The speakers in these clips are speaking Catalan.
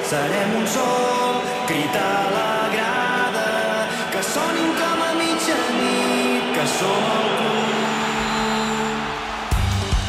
serem un sol, crit a la grada, que sonin com a mitjanit, que som el club.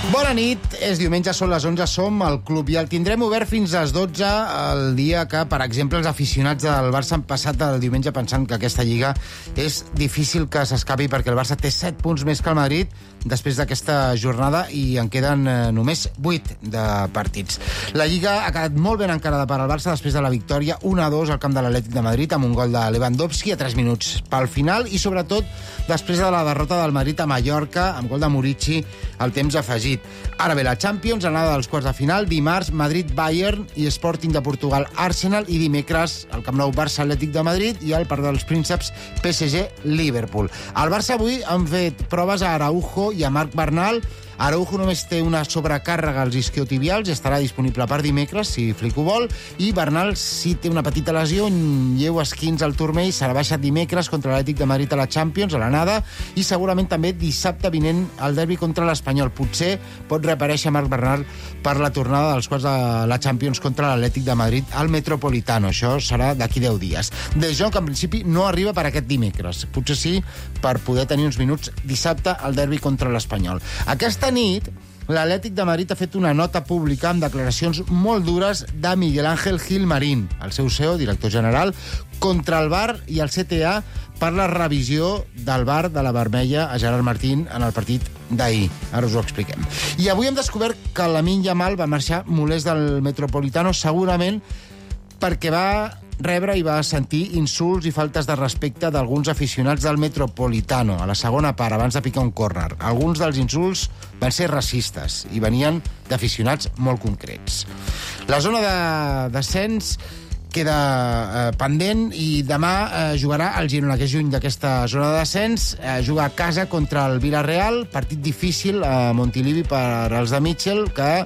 Bona nit, és diumenge, són les 11, som al club i el tindrem obert fins a les 12 el dia que, per exemple, els aficionats del Barça han passat el diumenge pensant que aquesta lliga és difícil que s'escapi perquè el Barça té 7 punts més que el Madrid després d'aquesta jornada i en queden només 8 de partits. La lliga ha quedat molt ben encarada per al Barça després de la victòria 1-2 al camp de l'Atlètic de Madrid amb un gol de Lewandowski a 3 minuts pel final i, sobretot, després de la derrota del Madrid a Mallorca amb gol de Murici al temps afegit. Ara bé, la Champions, anada dels quarts de final, dimarts Madrid-Bayern i Sporting de Portugal-Arsenal i dimecres el Camp Nou Barça-Atlètic de Madrid i al Parc dels Prínceps PSG-Liverpool. Al Barça avui han fet proves a Araujo i a Marc Bernal. Araujo només té una sobrecàrrega als isquiotibials i estarà disponible per dimecres, si Flick ho vol, i Bernal sí té una petita lesió, un lleu esquins al turmell, serà baixat dimecres contra l'Atlètic de Madrid a la Champions, a l'anada, i segurament també dissabte vinent al derbi contra l'Espanyol. Potser pot reaparèixer Marc Bernal per la tornada dels quarts de la Champions contra l'Atlètic de Madrid al Metropolitano. Això serà d'aquí 10 dies. De Jong, en principi, no arriba per aquest dimecres. Potser sí per poder tenir uns minuts dissabte al derbi contra l'Espanyol. Aquesta nit, l'Atlètic de Madrid ha fet una nota pública amb declaracions molt dures de Miguel Ángel Gil Marín, el seu CEO, director general, contra el VAR i el CTA per la revisió del VAR de la vermella a Gerard Martín en el partit d'ahir. Ara us ho expliquem. I avui hem descobert que Lamine Yamal va marxar molest del Metropolitano, segurament perquè va rebre i va sentir insults i faltes de respecte d'alguns aficionats del Metropolitano a la segona part, abans de picar un córner. Alguns dels insults van ser racistes i venien d'aficionats molt concrets. La zona de descens queda pendent i demà jugarà el Girona, que és lluny d'aquesta zona de descens, juga a casa contra el Villarreal, partit difícil a Montilivi per als de Mitchell, que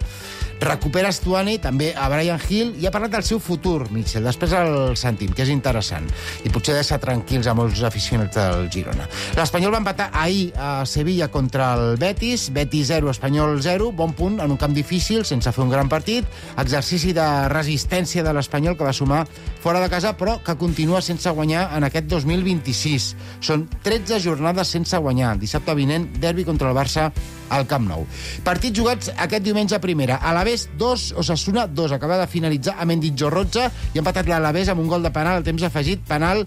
recupera Stuani, també a Brian Hill, i ha parlat del seu futur, Mitchell. Després el sentim, que és interessant. I potser deixa tranquils a molts aficionats del Girona. L'Espanyol va empatar ahir a Sevilla contra el Betis. Betis 0, Espanyol 0. Bon punt en un camp difícil, sense fer un gran partit. Exercici de resistència de l'Espanyol, que va sumar fora de casa, però que continua sense guanyar en aquest 2026. Són 13 jornades sense guanyar. Dissabte vinent, derbi contra el Barça al Camp Nou. Partits jugats aquest diumenge a primera. Alavés 2, Osasuna 2. Acaba de finalitzar a Mendizorroza i ha empatat l'Alavés amb un gol de penal al temps afegit, penal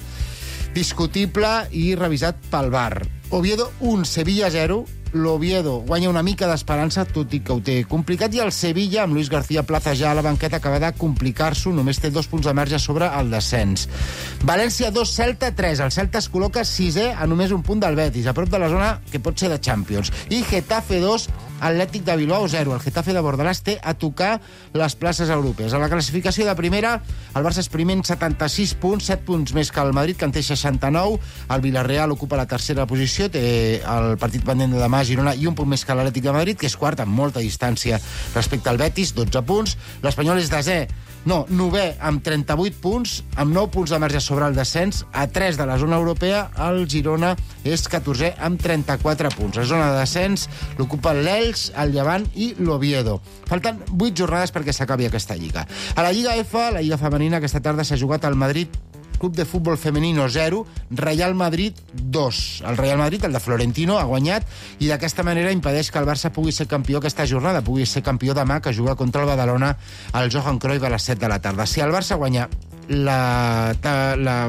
discutible i revisat pel VAR. Oviedo 1, Sevilla 0. L'Oviedo guanya una mica d'esperança, tot i que ho té complicat, i el Sevilla, amb Luis García Plaza ja a la banqueta, acaba de complicar-s'ho, només té 2 punts de marge sobre el descens. València 2, Celta 3. El Celta es col·loca 6è a només un punt del Betis, a prop de la zona que pot ser de Champions. I Getafe 2, Atlètic de Bilbao 0. El Getafe de Bordalàs té a tocar les places europees. A la classificació de primera, el Barça és primer en 76 punts, 7 punts més que el Madrid, que en té 69. El Villarreal ocupa la tercera posició, té el partit pendent de demà a Girona i un punt més que l'Atlètic de Madrid, que és quart amb molta distància respecte al Betis, 12 punts. L'Espanyol és novè amb 38 punts, amb 9 punts de marge sobre el descens, a 3 de la zona europea. El Girona és 14è amb 34 punts. La zona de descens l'ocupa l'Elx, el Llevant i l'Oviedo. Falten 8 jornades perquè s'acabi aquesta lliga. A la Lliga F, la Lliga Femenina, aquesta tarda s'ha jugat al Madrid Club de Futbol Femenino 0, Real Madrid 2. El Real Madrid, el de Florentino, ha guanyat i d'aquesta manera impedeix que el Barça pugui ser campió aquesta jornada, pugui ser campió demà, que juga contra el Badalona al Johan Cruyff a les 7 de la tarda. Si el Barça guanya la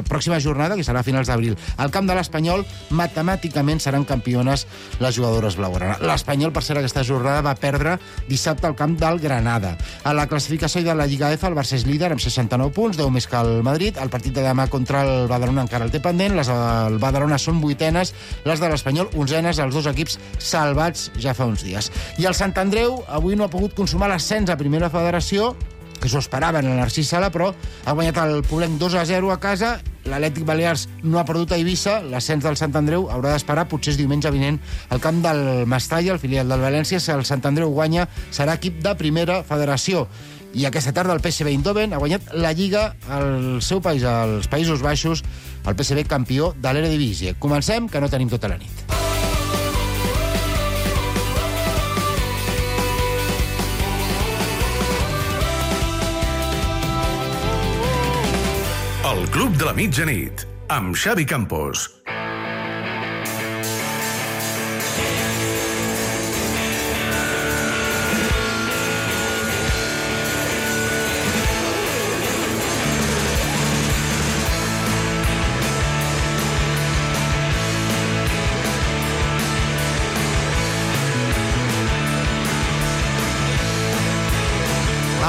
pròxima jornada, que serà a finals d'abril, al camp de l'Espanyol, matemàticament seran campiones les jugadores blaugrana. L'Espanyol, per ser aquesta jornada, va perdre dissabte al camp del Granada. A la classificació de la Lliga F, el Barça és líder amb 69 punts, 10 més que el Madrid. El partit de demà contra el Badalona encara el té pendent. Les del Badalona són 8enes, les de l'Espanyol 11enes, els dos equips salvats ja fa uns dies. I el Sant Andreu avui no ha pogut consumar l'ascens a Primera Federació, que s'ho esperaven en el Narcís Sala, però ha guanyat el Poblenc 2-0 a casa. L'Atlètic Balears no ha perdut a Eivissa. L'ascens del Sant Andreu haurà d'esperar, potser és diumenge vinent, al camp del Mestalla, el filial del València. Si el Sant Andreu guanya, serà equip de Primera Federació. I aquesta tarda el PSV Eindhoven ha guanyat la Lliga al seu país, als Països Baixos, el PSV campió de l'Eredivisie. Comencem, que no tenim tota la nit. Club de la Mitjanit, amb Xavi Campos.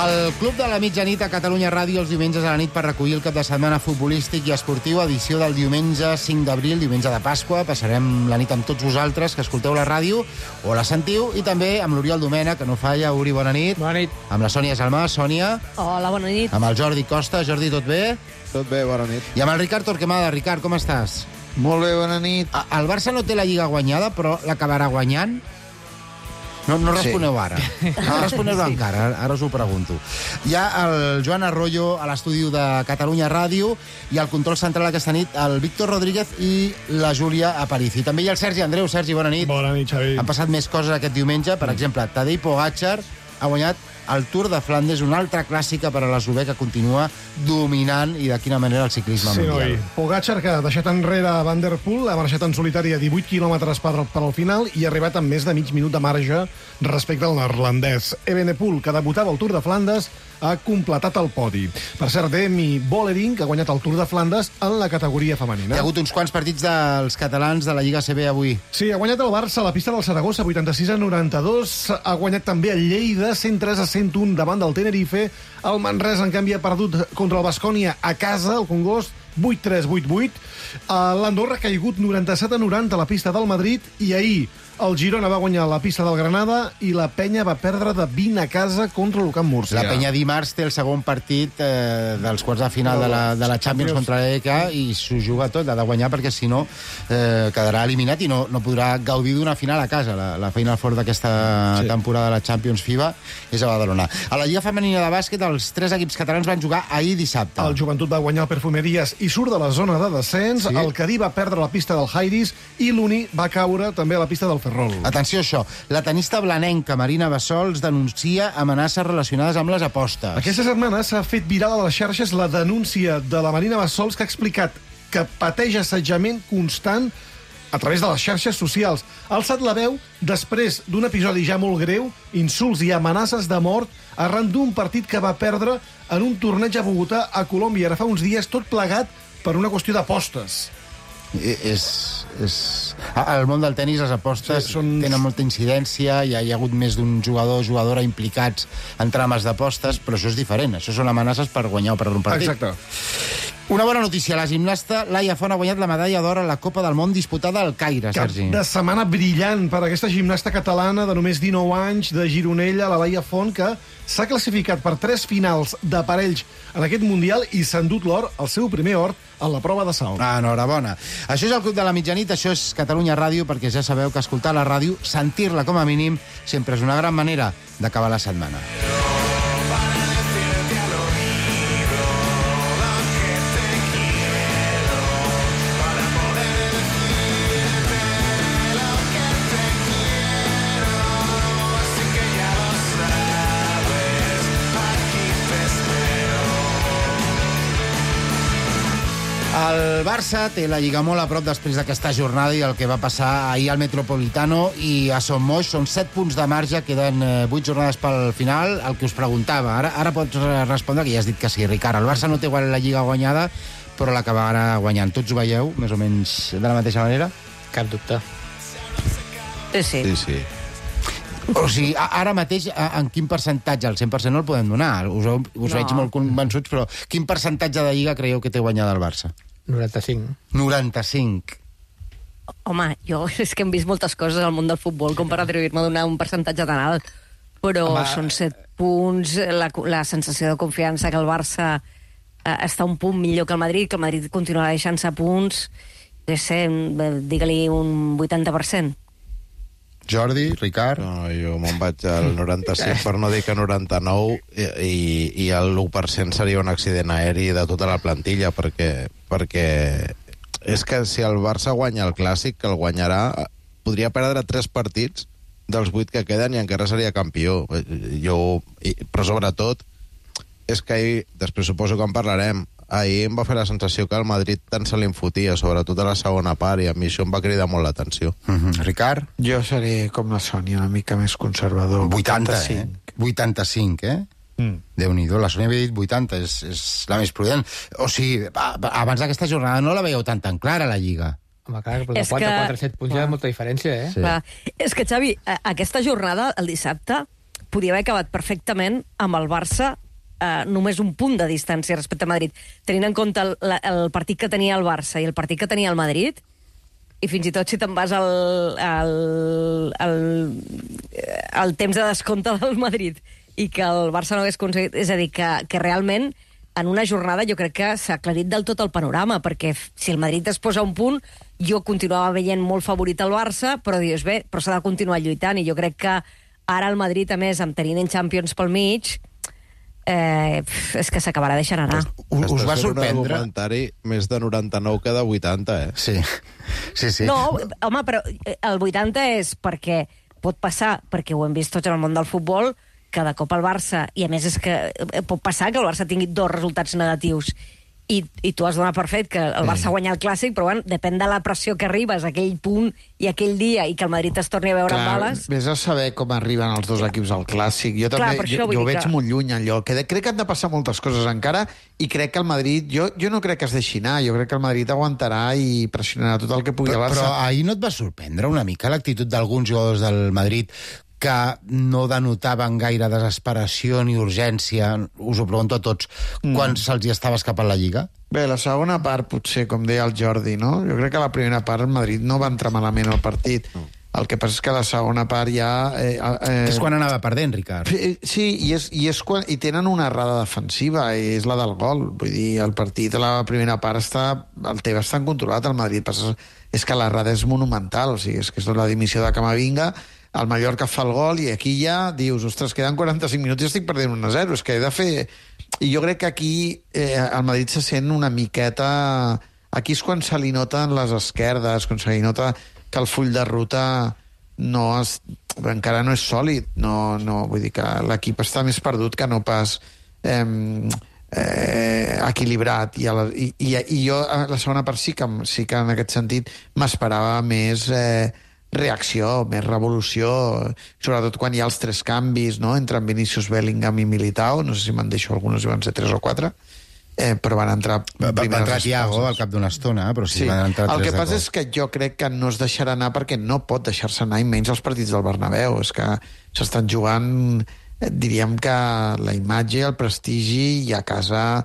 El Club de la Mitjanit a Catalunya Ràdio els diumenges a la nit per recollir el cap de setmana futbolístic i esportiu, edició del diumenge 5 d'abril, diumenge de Pasqua. Passarem la nit amb tots vosaltres que escolteu la ràdio o la sentiu, i també amb l'Oriol Domènech, que no falla. Uri, bona nit. Bona nit. Amb la Sònia Salmà. Sònia. Hola, bona nit. Amb el Jordi Costa. Jordi, tot bé? Tot bé, bona nit. I amb el Ricard Torquemada. Ricard, com estàs? Molt bé, bona nit. El Barça no té la Lliga guanyada, però l'acabarà guanyant? No responeu ara. No responeu encara, ara us ho pregunto. Hi ha el Joan Arroyo a l'estudi de Catalunya Ràdio i al control central aquesta nit el Víctor Rodríguez i la Júlia Aparici. També hi ha el Sergi Andreu. Sergi, bona nit. Bona nit, Xavi. Han passat més coses aquest diumenge. Per exemple, Tadej Pogačar ha guanyat el Tour de Flandes, una altra clàssica per a l'eslovè que continua dominant, i de quina manera, el ciclisme mundial. Pogačar, que ha deixat enrere Van der Poel, ha marxat en solitari a 18 quilòmetres per al final i ha arribat amb més de mig minut de marge respecte al neerlandès. Evenepoel, que debutava al Tour de Flandes, ha completat el podi. Per cert, Demi Vollering, que ha guanyat el Tour de Flandes en la categoria femenina. Hi ha hagut uns quants partits dels catalans de la Lliga CB avui. Sí, ha guanyat el Barça a la pista del Saragossa, 86-92. Ha guanyat també el Lleida, 103-101 davant del Tenerife. El Manresa, en canvi, ha perdut contra el Baskonia a casa, el Congost, 8-3, 8-8. L'Andorra ha caigut 97-90 a la pista del Madrid, i ahir el Girona va guanyar la pista del Granada i la Penya va perdre de 20 a casa contra l'Ucamp Múrcia. La Penya dimarts té el segon partit dels quarts de final de la Champions contra l'EK i s'ho juga tot, ha de guanyar, perquè si no quedarà eliminat i no podrà gaudir d'una final a casa. La Final Four d'aquesta temporada de la Champions FIBA és a Badalona. A la Lliga Femenina de Bàsquet, els 3 equips catalans van jugar ahir dissabte. El Joventut va guanyar el Perfumeries i surt de la zona de descens. El Cadí va perdre la pista del Jairis i l'Uni va caure també a la pista del Ferrol. Atenció a això. La tenista blanenca Marina Bassols denuncia amenaces relacionades amb les apostes. Aquesta setmana s'ha fet viral a les xarxes la denúncia de la Marina Bassols, que ha explicat que pateix assetjament constant a través de les xarxes socials. Ha alçat la veu després d'un episodi ja molt greu, insults i amenaces de mort arran d'un partit que va perdre en un torneig a Bogotà, a Colòmbia, ara fa uns dies, tot plegat per una qüestió d'apostes. Al món del tenis les apostes tenen molta incidència, hi ha hagut més d'un jugador o jugadora implicats en trames d'apostes, però això és diferent, això són amenaces per guanyar o perdre un partit. Exacte. Una bona notícia, la gimnasta Laia Font ha guanyat la medalla d'or a la Copa del Món disputada al Caire, Sergi. Cap de setmana brillant per aquesta gimnasta catalana de només 19 anys, de Gironella, la Laia Font, que s'ha classificat per 3 finals de parells en aquest Mundial i s'ha endut l'or, el seu primer or, en la prova de salt. Enhorabona. Això és el Club de la Mitjanit, això és Catalunya Ràdio, perquè ja sabeu que escoltar la ràdio, sentir-la com a mínim, sempre és una gran manera d'acabar la setmana. El Barça té la Lliga molt a prop després d'aquesta jornada i el que va passar ahir al Metropolitano i a Son Moix. Són 7 punts de marge, queden 8 jornades pel final. El que us preguntava, ara pots respondre, que ja has dit que sí, Ricard. El Barça no té la Lliga guanyada, però l'acabarà guanyant. Tots ho veieu, més o menys de la mateixa manera? Cap dubte. Sí. O sigui, ara mateix, en quin percentatge? El 100% no el podem donar. Us veig molt convençuts, però quin percentatge de Lliga creieu que té guanyada el Barça? 95. 95. Home, jo és que hem vist moltes coses al món del futbol com per atribuir-me a donar un percentatge tan alt, però són 7 punts, la sensació de confiança que el Barça està un punt millor que el Madrid continuarà deixant-se punts, digue-li un 80%. Jordi, Ricard? No, jo me'n vaig al 95, per no dir que 99, i el 1% seria un accident aeri de tota la plantilla, perquè és que si el Barça guanya el Clàssic, que el guanyarà, podria perdre 3 partits dels 8 que queden i encara seria campió. Però sobretot és que després suposo que en parlarem, ahir em va fer la sensació que el Madrid tant se li enfotia, sobretot a la segona part, i a mi això em va cridar molt l'atenció. Ricard? Jo seré com la Sònia, una mica més conservador. 85. 85, Déu-n'hi-do, la Sònia havia dit 80, és la més prudent. O sigui, abans d'aquesta jornada no la veieu tan clara, la Lliga. Home, clar, però de 4-7 punts hi ha molta diferència, Sí. Clar. És que, Xavi, aquesta jornada, el dissabte, podia haver acabat perfectament amb el Barça només un punt de distància respecte a Madrid, tenint en compte el partit que tenia el Barça i el partit que tenia el Madrid, i fins i tot si te'n vas al temps de descompte del Madrid i que el Barça no hagués aconseguit... És a dir, que realment en una jornada jo crec que s'ha aclarit del tot el panorama, perquè si el Madrid es posa un punt, jo continuava veient molt favorit el Barça, però dius, bé, però s'ha de continuar lluitant, i jo crec que ara el Madrid, a més, amb tenint en Champions pel mig, és que s'acabarà deixant anar. Us va Estàs fent sorprendre? un argumentari més de 99 que de 80, Sí. No, home, però el 80 és perquè pot passar, perquè ho hem vist tots en el món del futbol, que de cop el Barça, i a més és que pot passar que el Barça tingui 2 resultats negatius, i tu has donat per fet que el Barça guanya el Clàssic, però bueno, depèn de la pressió que arribes a aquell punt i aquell dia, i que el Madrid es torni a veure amb bales. Vés a saber com arriben els dos equips al Clàssic. Jo també, per això vull jo dir veig que... molt lluny allò. Crec que han de passar moltes coses encara, i crec que el Madrid... Jo no crec que es deixi anar, jo crec que el Madrid aguantarà i pressionarà tot el que pugui a Barça. Però ahir no et va sorprendre una mica l'actitud d'alguns jugadors del Madrid que no denotaven gaire desesperació ni urgència, us ho pregunto a tots, quan se'ls hi estava escapant la Lliga? Bé, la segona part, potser, com deia el Jordi, no? Jo crec que la primera part el Madrid no va entrar malament al partit. El que passa és que la segona part ja... És quan anava perdent, Ricard. Sí, i tenen una errada defensiva, i és la del gol. Vull dir, el partit a la primera part el té bastant controlat, el Madrid. És que l'errada és monumental, o sigui, és que és la dimissió de Camavinga, el Mallorca fa el gol, i aquí ja dius, ostres, queden 45 minuts i estic perdent 1-0, és que he de fer... I jo crec que aquí el Madrid se sent una miqueta... Aquí és quan se li noten les esquerdes, quan se li nota que el full de ruta encara no és sòlid. No, vull dir que l'equip està més perdut que no pas equilibrat. I jo, a la segona part, sí que en aquest sentit m'esperava més... reacció, més revolució, sobretot quan hi ha els 3 canvis, no?, entre Vinícius, Bellingham i Militao. No sé si me'n deixo alguns, si van ser 3 o 4, però van entrar... Va entrar Thiago al cap d'una estona, però sí, van entrar 3 el que de passa cop. és que jo crec que no es deixarà anar, perquè no pot deixar-se anar, i menys els partits del Bernabéu. És que s'estan jugant, diríem que la imatge, el prestigi, i a casa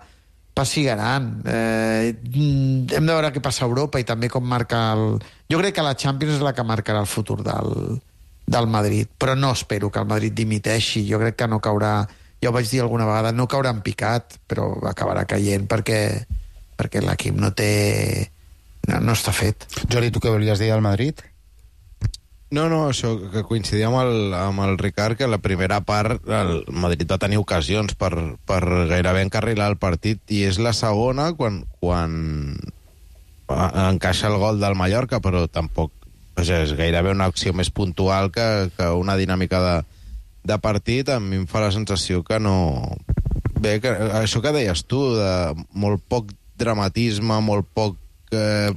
pessigaran. Hem de veure què passa a Europa i també com marca el... Jo crec que la Champions és la que marcarà el futur del Madrid, però no espero que el Madrid dimiteixi. Jo crec que no caurà... Ja ho vaig dir alguna vegada, no caurà en picat, però acabarà caient perquè l'equip no té... No està fet. Jordi, tu què volies dir al Madrid? No, això, que coincidia amb el Ricard, que la primera part el Madrid va tenir ocasions per gairebé encarrilar el partit, i és la segona quan encaixa el gol del Mallorca, però tampoc és gairebé una acció més puntual que una dinàmica de partit. A mi em fa la sensació que no... Bé, que això que deies tu, de molt poc dramatisme, molt poc...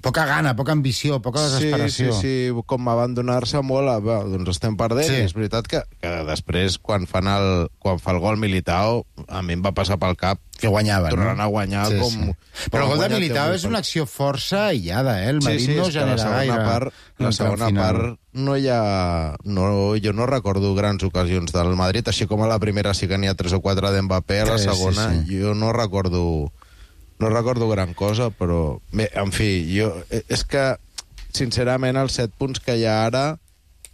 Poca gana, poca ambició, poca desesperació. Sí, com abandonar-se molt doncs estem perdent. Sí. És veritat que després, quan fa el gol Militao, a mi em va passar pel cap que guanyava, tornant a guanyar com... Però el gol de Militao és una acció força aïllada, El Madrid no genera gaire. La segona part no hi ha... Jo no recordo grans ocasions del Madrid, així com a la primera sí que n'hi ha 3 o 4 d'Mbappé, a la segona jo no recordo gran cosa, però... Bé, en fi, és que, sincerament, els 7 punts que hi ha ara,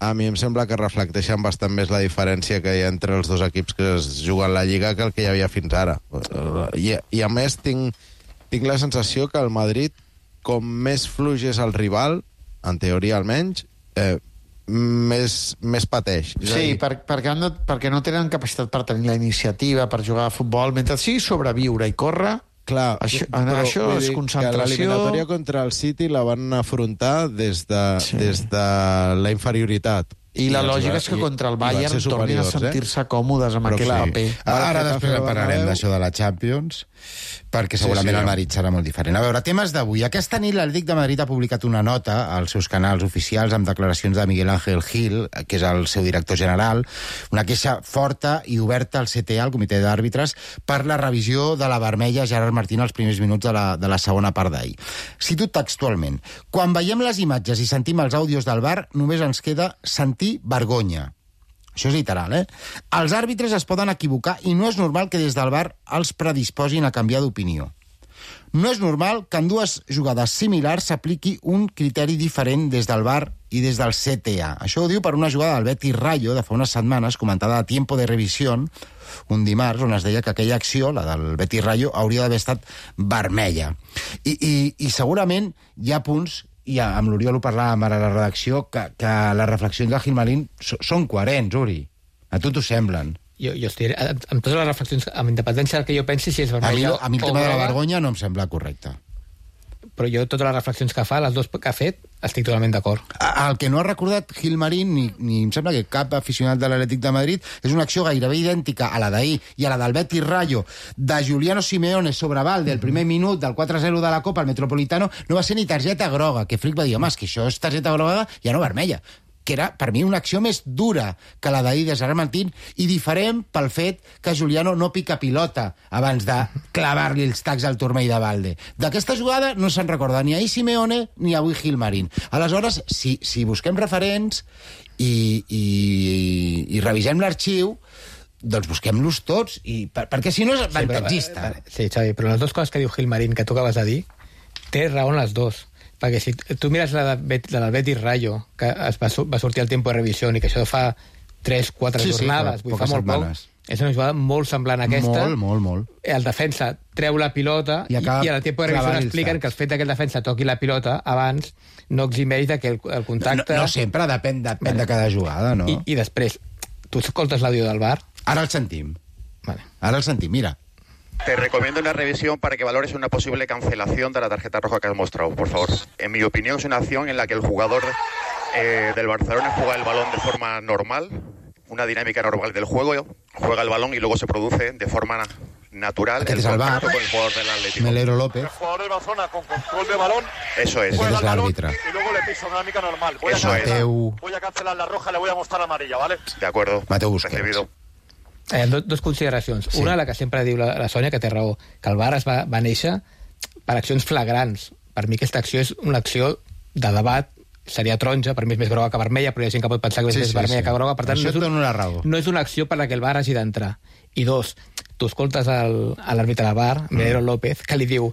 a mi em sembla que reflecteixen bastant més la diferència que hi ha entre els dos equips que es juguen la Lliga que el que hi havia fins ara. I a més, tinc la sensació que el Madrid, com més fluix és el rival, en teoria almenys, més pateix. Sí, perquè no tenen capacitat per tenir la iniciativa, per jugar a futbol, mentre sí sobreviure i córrer. Clar, això és concentració. L'eliminatòria contra el City la van afrontar des de la inferioritat, I la lògica és que contra el Bayern tornin a sentir-se còmodes amb aquell paper. Ara després parlarem d'això de la Champions, perquè segurament el Madrid serà molt diferent. A veure, temes d'avui. Aquesta nit l'Atlètic de Madrid ha publicat una nota als seus canals oficials amb declaracions de Miguel Ángel Gil, que és el seu director general, una queixa forta i oberta al CTA, al comitè d'àrbitres, per la revisió de la vermella Gerard Martín als primers minuts de la segona part d'ahir. Cito textualment: quan veiem les imatges i sentim els àudios del VAR, només ens queda sentir vergonya. Això és literal, eh? Els àrbitres es poden equivocar i no és normal que des del VAR els predisposin a canviar d'opinió. No és normal que en dues jugades similars s'apliqui un criteri diferent des del VAR i des del CTA. Això ho diu per una jugada del Betis Rayo de fa unes setmanes, comentada a Tiempo de Revisión, un dimarts, on es deia que aquella acció, la del Betis Rayo, hauria d'haver estat vermella. I segurament hi ha punts, i amb l'Oriol ho parlàvem ara a la redacció, que les reflexions de Gilmarín són coherents, Uri. A tu t'ho semblen? Jo estic amb totes les reflexions, amb independència del que jo pensi, si és vermella a mi el tema de la vergonya no em sembla correcte. Però jo totes les reflexions que fa, les dues que ha fet, estic totalment d'acord. El que no ha recordat Gilmarín, ni em sembla que cap aficionat de l'Atlètic de Madrid, és una acció gairebé idèntica a la d'ahir i a la del Betis Rayo de Giuliano Simeone sobre Valde, el primer minut del 4-0 de la Copa al Metropolitano, no va ser ni targeta groga, que Flick va dir, home, és que això és targeta groga, ja no vermella, que era, per mi, una acció més dura que la d'ahir de Gerard Martín i diferent pel fet que Giuliano no pica pilota abans de clavar-li els tacs al turmell de Valde. D'aquesta jugada no se'n recorda ni ahir Simeone ni avui Gilmarín. Aleshores, si busquem referents i revisem l'arxiu, doncs busquem-los tots, perquè si no és avantatgista. Sí, Xavi, però les dues coses que diu Gilmarín, que tu acabes de dir, té raó en les dues. Perquè si tu mires la del Betis Rayo, que va sortir al Tiempo de Revisión i que això fa 3-4 jornades, vull fa molt poc, és una jugada molt semblant a aquesta. Molt. El defensa treu la pilota i al Tiempo de Revisión expliquen que el fet que el defensa toqui la pilota abans no eximeix que el contacte... No sempre, depèn de cada jugada, no? I després, tu escoltes l'àudio del VAR? Ara el sentim. Vale. Ara el sentim, mira. Te recomiendo una revisión para que valores una posible cancelación de la tarjeta roja que has mostrado, por favor. En mi opinión es una acción en la que el jugador del Barcelona juega el balón de forma normal, una dinámica normal del juego, juega el balón y luego se produce de forma natural el contacto con el jugador del Atlético. Melero López. El jugador del Barcelona con control de balón. Eso es. Juega el balón y luego le piso una dinámica normal. Voy a cancelar la roja, le voy a mostrar la amarilla, ¿vale? De acuerdo. Mateu Busquets. Dos consideracions. Sí. Una, la que sempre diu la Sònia, que té raó, que el VAR va néixer per accions flagrants. Per mi aquesta acció és una acció de debat, seria taronja, per mi és més groga que vermella, però hi ha gent que pot pensar que és més vermella que groga, per tant no és una acció per la que el VAR hagi d'entrar. I dos, tu escoltes l'àrbitre del VAR, Melero López, que li diu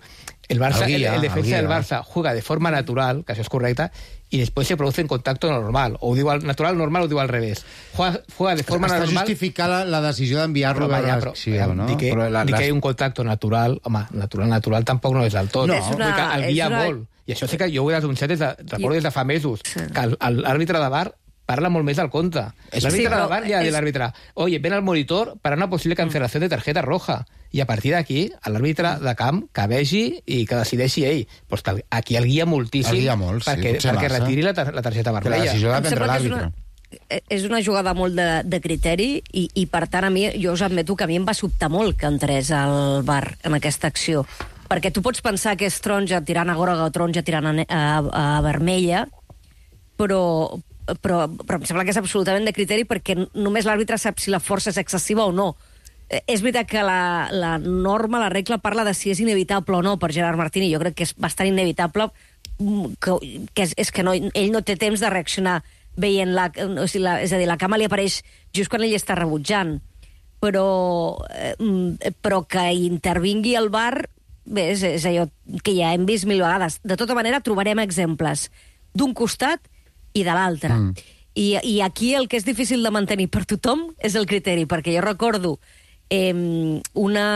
el defensa del Barça juega de forma natural, que això és correcte, y después se produce en contacto normal. O diu natural, normal, o diu al revés. Juega de forma normal... Està justificada la decisió d'enviar-lo a l'acció, no? Dic que hi ha un contacto natural. Home, natural tampoc no és del tot. No. Vull que el guia molt. I això sí que jo ho he denunciat recordo des de fa mesos, que l'àrbitre de VAR parla molt més del compte. L'àrbitre de VAR ja ha dit l'àrbitre, oye, ven al monitor para una posible cancelación de tarjeta roja. I a partir d'aquí, l'àrbitre de camp que vegi i que decideixi ell. Pues que aquí el guia moltíssim perquè retiri la targeta vermella. La decisió de prendre l'àrbitre. És una jugada molt de criteri i per tant, a mi, jo us admeto que a mi em va sobtar molt que entrés al VAR en aquesta acció. Perquè tu pots pensar que és taronja tirant a groga o taronja tirant a vermella, però em sembla que és absolutament de criteri perquè només l'àrbitre sap si la força és excessiva o no. És veritat que la norma, la regla, parla de si és inevitable o no per Gerard Martín, i jo crec que és bastant inevitable és que ell no té temps de reaccionar veient-la, és a dir, la cama li apareix just quan ell està rebutjant, però que intervingui el VAR, bé, és allò que ja hem vist mil vegades. De tota manera, trobarem exemples d'un costat i de l'altre. I aquí el que és difícil de mantenir per tothom és el criteri, perquè jo recordo una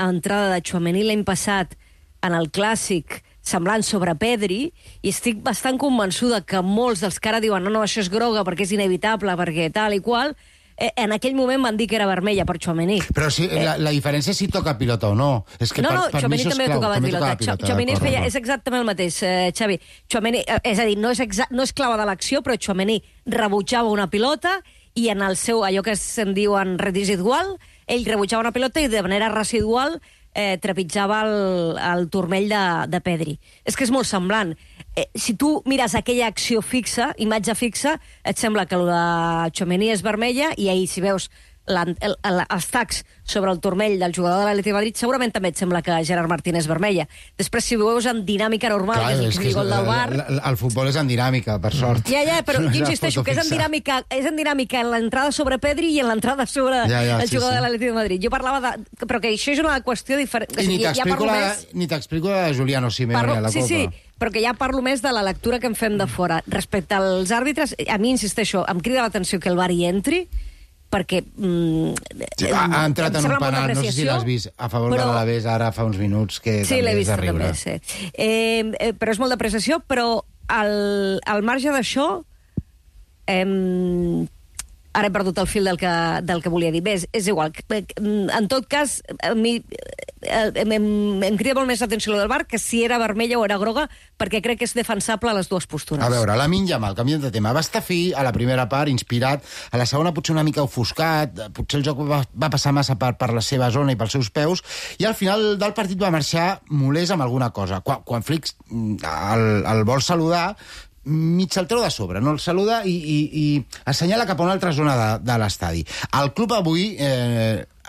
entrada de Tchouaméni l'any passat en el Clàssic semblant sobre Pedri, i estic bastant convençuda que molts dels que ara diuen no, això és groga perquè és inevitable, perquè tal i qual, en aquell moment van dir que era vermella per Tchouaméni. Però sí, la diferència és si toca pilota o no. És que No, per mi Tchouaméni això és també clau. tocava pilota. Tchouaméni és exactament el mateix, Xavi. Tchouaméni, és a dir, no és clau de l'acció, però Tchouaméni rebutjava una pilota i en el seu, allò que se'n diu en residual, ell rebutjava una pilota i de manera residual trepitjava el turmell de Pedri. És que és molt semblant. Si tu mires aquella acció fixa, imatge fixa, et sembla que el de Tchouaméni és vermella i ahir, si veus els tacs sobre el turmell del jugador de l'Atlètic de Madrid, segurament també et sembla que Gerard Martín és vermella. Després, si ho veus en dinàmica normal, clar, que és el gol del VAR... El futbol és en dinàmica, per sort. Ja, però jo insisteixo que és en dinàmica en l'entrada sobre Pedri i en l'entrada sobre el jugador de l'Atlètic de Madrid. Jo parlava però que això és una qüestió diferent. I ni t'explico la de Juliano Simeone a la Copa. Sí, però que ja parlo més de la lectura que en fem de fora. Respecte als àrbitres, a mi, insisteixo, em crida l'atenció que el VAR hi entri, perquè... ha entrat en un penal, no sé si l'has vist, a favor de l'Alavés ara fa uns minuts, que sí, també l'he és vist, de riure. també, sí. Però és molt d'apreciació, però al marge d'això, ara he perdut el fil del que volia dir. Bé, és igual. En tot cas, a mi em crida molt més l'atenció del VAR que si era vermella o era groga, perquè crec que és defensable a les dues postures. A veure, Lamine Yamal, canviant de tema, va estar fi a la primera part, inspirat, a la segona potser una mica ofuscat, potser el joc va passar massa per la seva zona i pels seus peus, i al final del partit va marxar molest amb alguna cosa. Quan Flick el vol saludar, mig el treu de sobre, no el saluda i assenyala cap a una altra zona de l'estadi. El club avui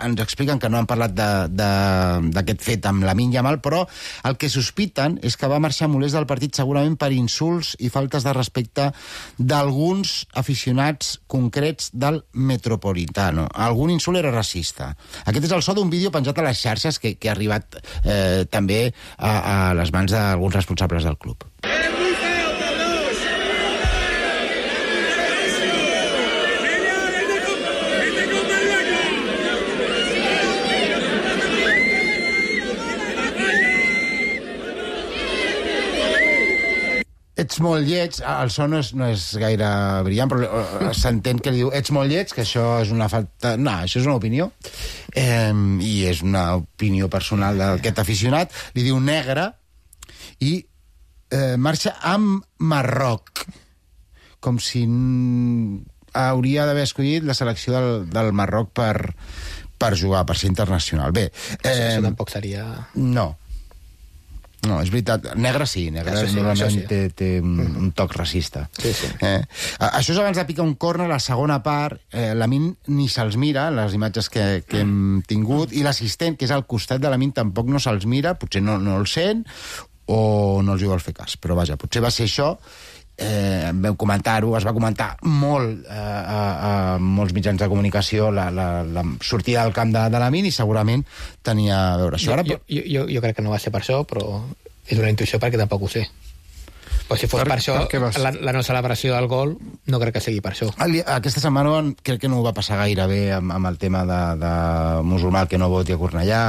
ens expliquen que no han parlat d'aquest fet amb Lamine Yamal, però el que sospiten és que va marxar molest del partit segurament per insults i faltes de respecte d'alguns aficionats concrets del Metropolitano. Algun insult era racista. Aquest és el so d'un vídeo penjat a les xarxes que ha arribat també a les mans d'alguns responsables del club. Ets molt lleig, el so no és gaire brillant, però s'entén que li diu ets molt lleig, que això és una falta... No, això és una opinió, i és una opinió personal d'aquest aficionat. Li diu negre i marxa amb Marroc, com si hauria d'haver escollit la selecció del Marroc per jugar, per ser internacional. Bé, això tampoc seria... No, és veritat. Negre sí, normalment té un toc racista. Sí. Això és abans de picar un córner, la segona part, Lamine ni se'ls mira, les imatges que hem tingut, i l'assistent, que és al costat de Lamine, tampoc no se'ls mira, potser no el sent, o no els hi vol fer cas. Però vaja, potser va ser això. Vam comentar-ho, es va comentar molt a molts mitjans de comunicació la sortida del camp de Lamine i segurament tenia a veure això. Jo crec que no va ser per això, però és una intuïció perquè tampoc ho sé. Però si fos per això, la no celebració del gol no crec que sigui per això. Aquesta setmana crec que no ho va passar gaire bé amb el tema de musulmà que no voti a Cornellà.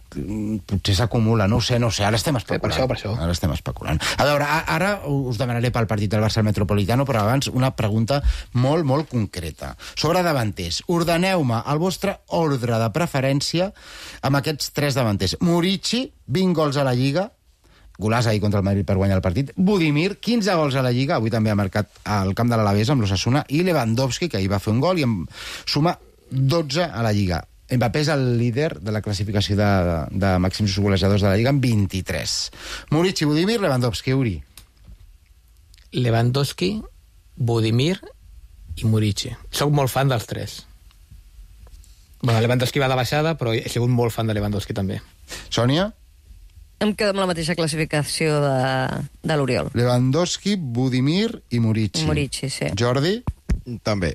Potser s'acumula, no ho sé, ara estem especulant. Per això. Ara estem especulant. A veure, ara us demanaré pel partit del Barça al Metropolitano, però abans una pregunta molt, molt concreta. Sobre davanters, ordeneu-me el vostre ordre de preferència amb aquests 3 davanters. Murici, 20 gols a la Lliga, golàs ahir contra el Madrid per guanyar el partit. Budimir, 15 gols a la Lliga, avui també ha marcat al camp de l'Alavés amb l'Osasuna, i Lewandowski, que ahir va fer un gol i em suma 12 a la Lliga. Mbappé és el líder de la classificació de màxims golejadors de la Lliga amb 23. Murici, Budimir, Lewandowski, Uri. Lewandowski, Budimir i Murici. Soc molt fan dels 3. Bueno, Lewandowski va de baixada, però he sigut molt fan de Lewandowski també. Sònia? Em quedo amb la mateixa classificació de l'Oriol. Lewandowski, Budimir i Murici. Murici, sí. Jordi? També.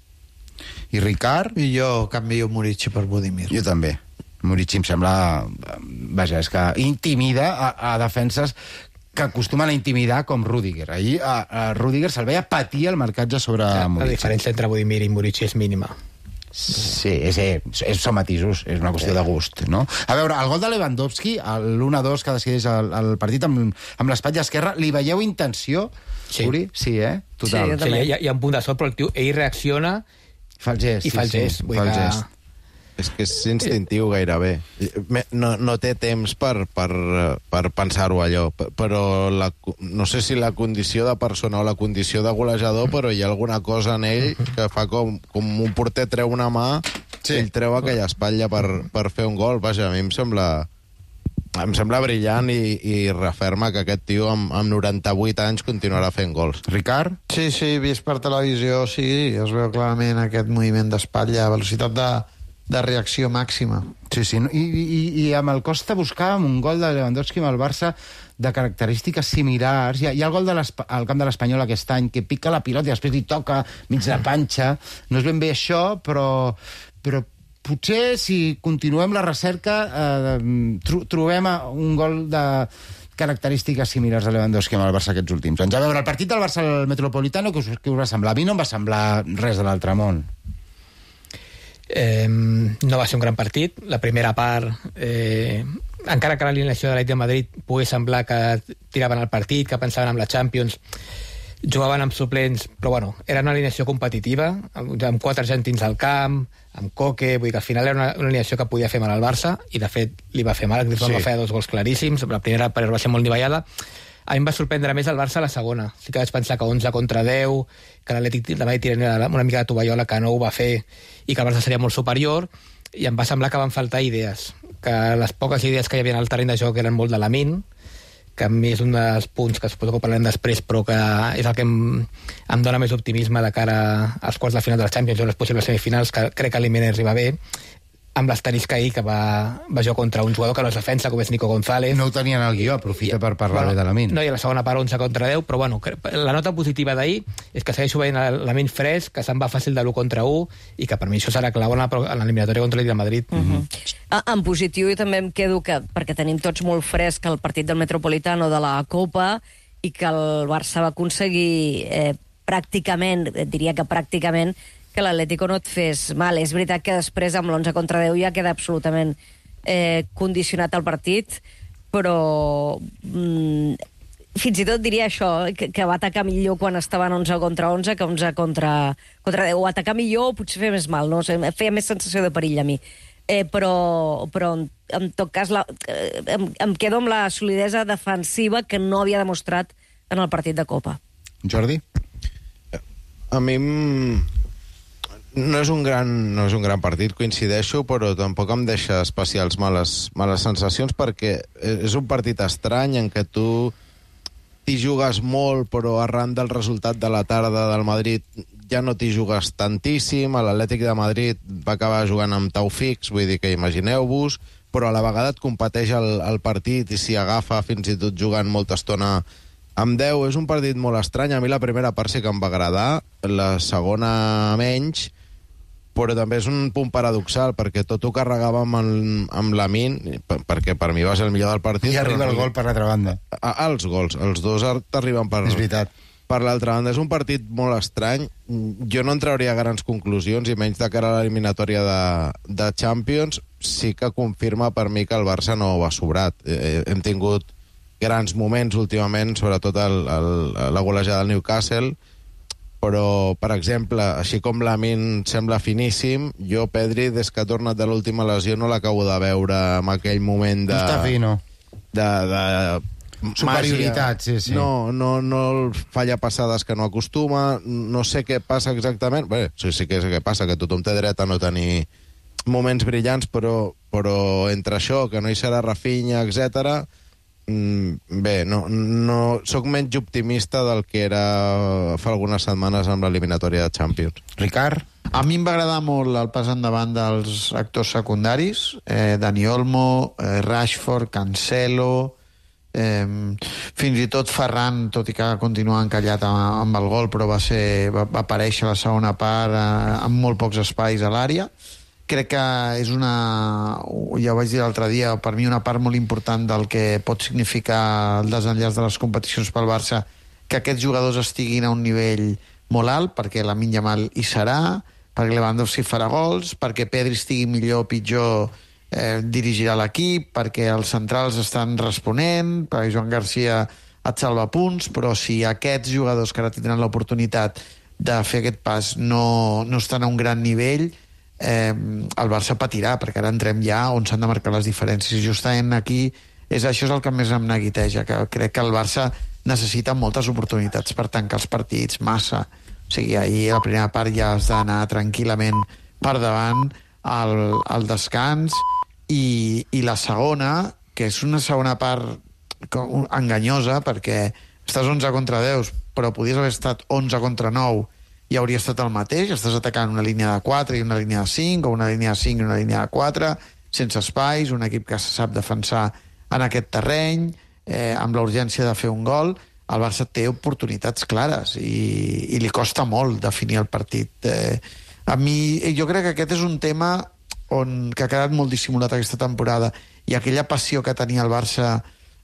I Ricard? I jo canvio Murici per Budimir. Jo també. Murici em sembla... Vaja, és que intimida a defenses que acostumen a intimidar com Rüdiger. Ahir a Rüdiger se'l veia patir el marcatge sobre Murici. La diferència entre Budimir i Murici és mínima. Sí, són matisos, és una qüestió de gust, no? A veure, el gol de Lewandowski, l'1-2 que decideix el partit amb l'espatlla esquerra, li veieu intenció? Sí. Uri? Sí, total. Sí, hi ha un punt de sort, però el tio, ell reacciona Fa el gest, i fa el gest. fa el gest. És que és instintiu gairebé. No té temps per pensar-ho allò, però no sé si la condició de persona o la condició de golejador, però hi ha alguna cosa en ell que fa com un porter treu una mà, ell treu aquella espatlla per fer un gol. Vaja, a mi em sembla brillant i referma que aquest tio amb 98 anys continuarà fent gols. Ricard? Sí, vist per televisió, sí, es veu clarament aquest moviment d'espatlla, velocitat de reacció màxima. Sí, i amb el Costa buscàvem un gol de Lewandowski amb el Barça de característiques similars. Hi ha el gol al camp de l'Espanyol aquest any, que pica la pilota i després li toca mig la panxa. No és ben bé això, però potser si continuem la recerca trobem un gol de característiques similars a Lewandowski amb el Barça aquests últims anys. A veure, el partit del Barça al Metropolitano, què us va semblar? A mi no em va semblar res de l'altre món. No va ser un gran partit. La primera part, encara que l'alineació de l'Atlètic de Madrid pugui semblar que tiraven el partit, que pensaven en la Champions, jugaven amb suplents, però bueno, era una alineació competitiva, amb 4 argentins al camp, amb Coque, vull dir que al final era una alineació que podia fer mal al Barça, i de fet li va fer mal, el Griezmann va fer 2 gols claríssims, la primera part va ser molt nivellada. A mi em va sorprendre més el Barça a la segona. Sí que vaig pensar que 11 contra 10, que l'Atlètic de Madrid tiraria una mica de tovallola, que no ho va fer, i que el Barça seria molt superior, i em va semblar que van faltar idees, que les poques idees que hi havia al terreny de joc eren molt de Lamine, que a mi és un dels punts que suposo que parlarem després, però que és el que em dona més optimisme de cara als quarts de final de la Champions o les possibles semifinals, que crec que l'Imenes arriba bé, amb l'asterisc ahir que va jugar contra un jugador que no és defensa, com és Nico González. No ho tenien al guió, aprofita per parlar bé de Lamine. No, i a la segona part 11 contra 10, però bueno, la nota positiva d'ahir és que segueixo veient Lamine fresc, que se'n va fàcil de l'1 contra 1, i que per mi això serà clau en l'eliminatòria contra l'Atlètic de Madrid. En positiu, i també em quedo perquè tenim tots molt fresc el partit del Metropolitano de la Copa, i que el Barça va aconseguir pràcticament, diria que pràcticament, que l'Atlético no et fes mal. És veritat que després amb l'11 contra 10 ja queda absolutament condicionat el partit, però fins i tot diria això, que va atacar millor quan estaven 11 contra 11 que 11 contra 10. O atacar millor o potser fer més mal, no? Feia més sensació de perill a mi. Però en tot cas em quedo amb la solidesa defensiva que no havia demostrat en el partit de Copa. Jordi? A mi no és un gran partit, coincideixo, però tampoc em deixa especials males sensacions, perquè és un partit estrany en què tu t'hi jugues molt, però arran del resultat de la tarda del Madrid ja no t'hi jugues tantíssim. L'Atlètic de Madrid va acabar jugant amb Taufix, vull dir que imagineu-vos, però a la vegada et competeix el partit i s'hi agafa fins i tot jugant molta estona amb 10. És un partit molt estrany. A mi la primera part sí que em va agradar, la segona menys, però també és un punt paradoxal, perquè tot ho carregàvem amb Lamine, perquè per mi va ser el millor del partit. I arriba el gol per l'altra banda. Els gols, els dos t'arriben per l'altra banda. És un partit molt estrany. Jo no en trauria grans conclusions, i menys de cara a l'eliminatòria de Champions. Sí que confirma per mi que el Barça no va sobrat. Hem tingut grans moments últimament, sobretot la golejada del Newcastle, però, per exemple, així com Lamine sembla finíssim, jo Pedri, des que ha tornat de l'última lesió, no l'acabo de veure en aquell moment de... No està fino. De superioritat, sí. No falla passades que no acostuma, no sé què passa exactament. Bé, sí que sé què passa, que tothom té dret a no tenir moments brillants, però entre això, que no hi serà Rafinha, etc. Bé, no soc menys optimista del que era fa algunes setmanes amb l'eliminatòria de Champions. Ricard? A mi em va agradar molt el pas endavant dels actors secundaris, Dani Olmo, Rashford, Cancelo, fins i tot Ferran, tot i que continua encallat amb el gol, però va aparèixer a la segona part amb molt pocs espais a l'àrea. Crec que és ja ho vaig dir l'altre dia, per mi una part molt important del que pot significar el desenllaç de les competicions pel Barça, que aquests jugadors estiguin a un nivell molt alt, perquè Lamine Yamal hi serà, perquè Lewandowski farà gols, perquè Pedri estigui millor o pitjor, dirigirà l'equip, perquè els centrals estan responent, perquè Joan Garcia et salva punts, però si aquests jugadors que ara tindran l'oportunitat de fer aquest pas no estan a un gran nivell, el Barça patirà, perquè ara entrem ja on s'han de marcar les diferències. Justament aquí això és el que més em neguiteja, que crec que el Barça necessita moltes oportunitats per tancar els partits, massa. O sigui, ahir a la primera part ja has d'anar tranquil·lament per davant al descans, i la segona, que és una segona part enganyosa, perquè estàs 11 contra 10, però podies haver estat 11 contra 9 i hauria estat el mateix. Estàs atacant una línia de 4 i una línia de 5, o una línia de 5 i una línia de 4, sense espais, un equip que sap defensar en aquest terreny, amb la urgència de fer un gol. El Barça té oportunitats clares i li costa molt definir el partit. A mi, jo crec que aquest és un tema que ha quedat molt dissimulat aquesta temporada, i aquella passió que tenia el Barça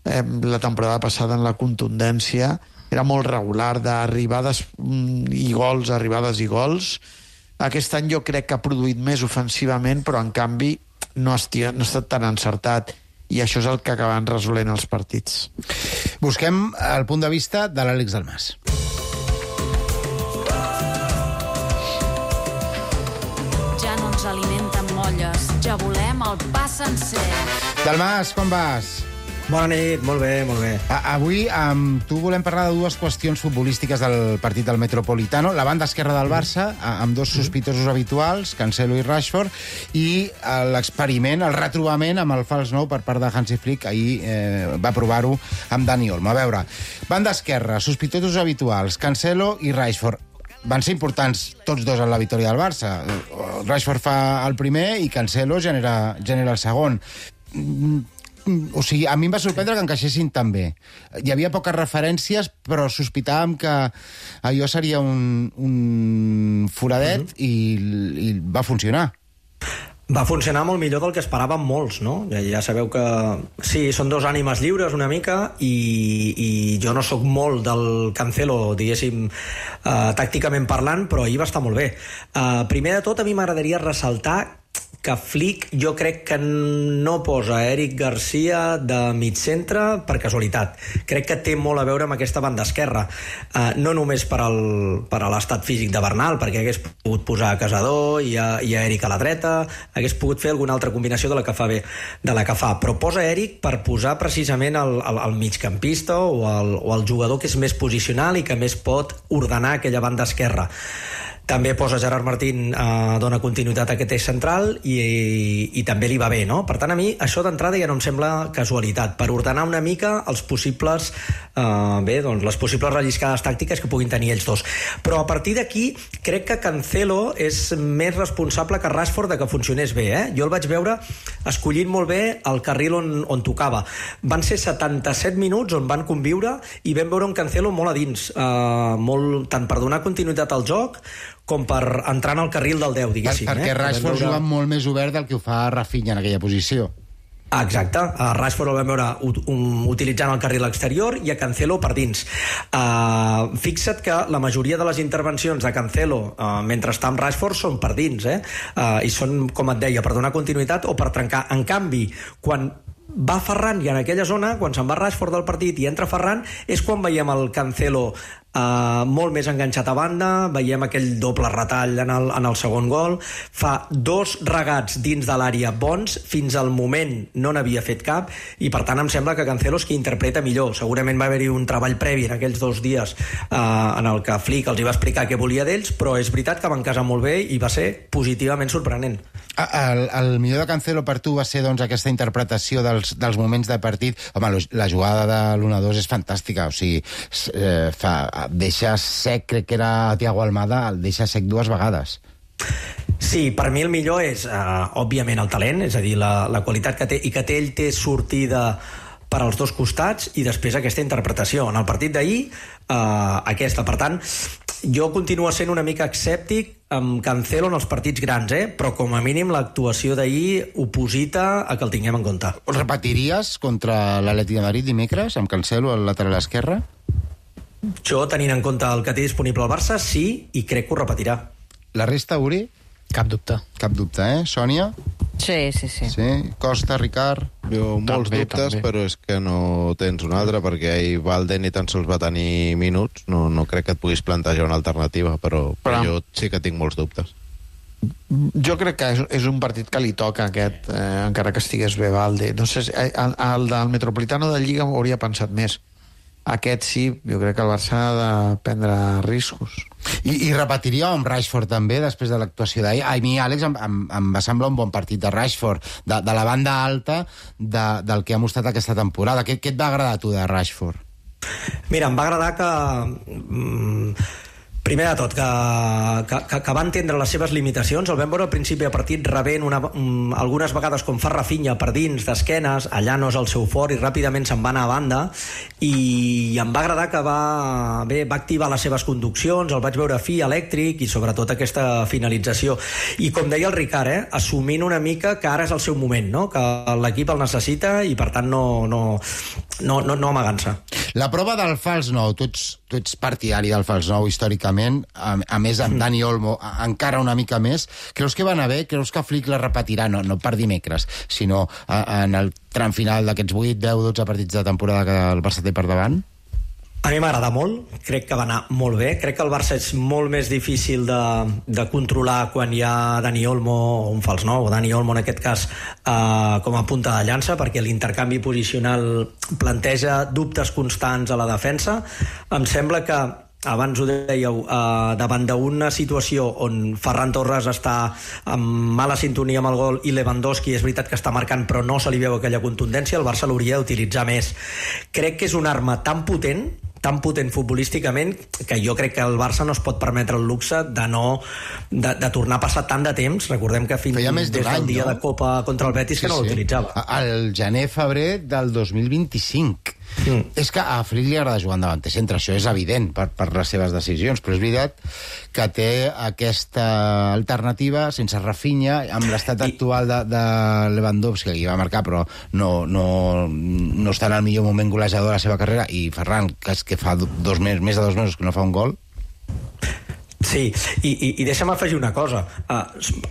la temporada passada en la contundència era molt regular, d'arribades i gols, arribades i gols. Aquest any jo crec que ha produït més ofensivament, però en canvi no ha estat tan encertat, i això és el que acaben resolent els partits. Busquem el punt de vista de l'Àlex Dalmas. Ja no ens alimenten molles, ja volem el pa sencer. Dalmas, com vas? Bona nit, molt bé, molt bé. Avui amb tu volem parlar de dues qüestions futbolístiques del partit del Metropolitano. La banda esquerra del Barça, amb dos sospitosos habituals, Cancelo i Rashford, i l'experiment, el retrobament amb el fals nou per part de Hansi Flick. Ahir va provar-ho amb Dani Olmo. A veure, banda esquerra, sospitosos habituals, Cancelo i Rashford. Van ser importants tots dos en la victòria del Barça. Rashford fa el primer i Cancelo genera el segon. O sigui, a mi em va sorprendre que encaixessin tan bé. Hi havia poques referències, però sospitàvem que allò seria un foradet i va funcionar. Va funcionar molt millor del que esperàvem molts, no? Ja sabeu que sí, són dos ànimes lliures una mica, i jo no sóc molt del Cancelo, diguéssim, tàcticament parlant, però ahir va estar molt bé. Primer de tot, a mi m'agradaria ressaltar que Flick jo crec que no posa Eric Garcia de mig centre per casualitat. Crec que té molt a veure amb aquesta banda esquerra, no només per a l'estat físic de Bernal, perquè hagués pogut posar a Casador i a Eric a la dreta, hagués pogut fer alguna altra combinació de la que fa, però posa Eric per posar precisament el migcampista o el jugador que és més posicional i que més pot ordenar aquella banda esquerra. També posa Gerard Martín, dona continuïtat a aquest eix central i també li va bé, no? Per tant, a mi això d'entrada ja no em sembla casualitat, per ordenar una mica els possibles les possibles relliscades tàctiques que puguin tenir ells dos. Però a partir d'aquí crec que Cancelo és més responsable que Rashford de que funcionés bé, Jo el vaig veure escollint molt bé el carril on tocava. Van ser 77 minuts on van conviure i vam veure un Cancelo molt a dins, tant per donar continuïtat al joc com per entrar en el carril del 10, diguéssim. Perquè Rashford juga molt més obert del que ho fa Rafinha en aquella posició. Exacte, a Rashford el vam veure utilitzant el carril exterior i a Cancelo per dins. Fixa't que la majoria de les intervencions de Cancelo mentre està amb Rashford són per dins, i són, com et deia, per donar continuïtat o per trencar. En canvi, quan va Ferran i en aquella zona, quan se'n va Rashford del partit i entra Ferran, és quan veiem el Cancelo molt més enganxat a banda, veiem aquell doble retall en el segon gol, fa dos regats dins de l'àrea bons, fins al moment no n'havia fet cap, i per tant em sembla que Cancelo és qui interpreta millor. Segurament va haver-hi un treball previ en aquells 2 dies en el que Flick els hi va explicar què volia d'ells, però és veritat que van casar molt bé i va ser positivament sorprenent. El millor de Cancelo per tu va ser doncs aquesta interpretació dels moments de partit. Home, la jugada de l'1-2 és fantàstica, o sigui, deixa sec, crec que era Thiago Almada, el deixa sec 2 vegades. Sí, per mi el millor és, òbviament, el talent, és a dir, la qualitat que té, i que ell té sortida per als dos costats, i després aquesta interpretació. En el partit d'ahir, aquesta. Per tant, jo continuo sent una mica escèptic amb Cancelo en els partits grans, però com a mínim l'actuació d'ahir oposita a que el tinguem en compte. Ho repetiries contra l'Atlètic de Madrid dimecres, amb Cancelo al lateral esquerre? Jo, tenint en compte el que té disponible al Barça, sí, i crec que ho repetirà. La resta, Uri? Cap dubte. Cap dubte, Sònia? Sí. Sí? Costa, Ricard? Jo molts dubtes, però és que no tens un altre, perquè ahir Valde ni tan sols va tenir minuts. No crec que et puguis plantejar una alternativa, però jo sí que tinc molts dubtes. Jo crec que és un partit que li toca aquest, encara que estigués bé Valde. No sé, el del Metropolitano de Lliga hauria pensat més. Aquest sí, jo crec que el Barça ha de prendre riscos. I repetiria amb Rashford també, després de l'actuació d'ahir. A mi, Àlex, em va semblar un bon partit de Rashford, de la banda alta del que ha mostrat aquesta temporada. Què et va agradar a tu de Rashford? Mira, em va agradar que... Primer de tot, que va entendre les seves limitacions. El vam veure al principi de partit rebent algunes vegades com fa Rafinha per dins, d'esquenes, allà no és el seu fort i ràpidament se'n va anar a banda, i em va agradar que va activar les seves conduccions, el vaig veure fi, elèctric, i sobretot aquesta finalització. I com deia el Ricard, assumint una mica que ara és el seu moment, no? Que l'equip el necessita i per tant no amagant-se. La prova del fals nou, tu ets partidari del fals nou històricament, a més amb Dani Olmo encara una mica més. Creus que va anar bé? Creus que Flick la repetirà? No per dimecres, sinó en el tram final d'aquests 8, 10, 12 partits de temporada que el Barça té per davant? A mi m'agrada molt, crec que va anar molt bé. Crec que el Barça és molt més difícil de controlar quan hi ha Dani Olmo, o un fals nou, o Dani Olmo en aquest cas, com a punta de llança, perquè l'intercanvi posicional planteja dubtes constants a la defensa. Em sembla que, abans ho dèieu, davant d'una situació on Ferran Torres està en mala sintonia amb el gol i Lewandowski és veritat que està marcant però no se li veu aquella contundència, el Barça l'hauria d'utilitzar més. Crec que és una arma tan potent futbolísticament, que jo crec que el Barça no es pot permetre el luxe de tornar a passar tant de temps. Recordem que fins des del dia de Copa contra el Betis que no l'utilitzava. Al gener-febrer del 2025. És que a Flick li agrada jugar en davanter centre, això és evident per les seves decisions, però és veritat que té aquesta alternativa sense Rafinha, amb l'estat actual de Lewandowski, que hi va marcar però no està en el millor moment golejador de la seva carrera, i Ferran, que fa més de 2 mesos que no fa un gol. Sí, i deixa'm afegir una cosa.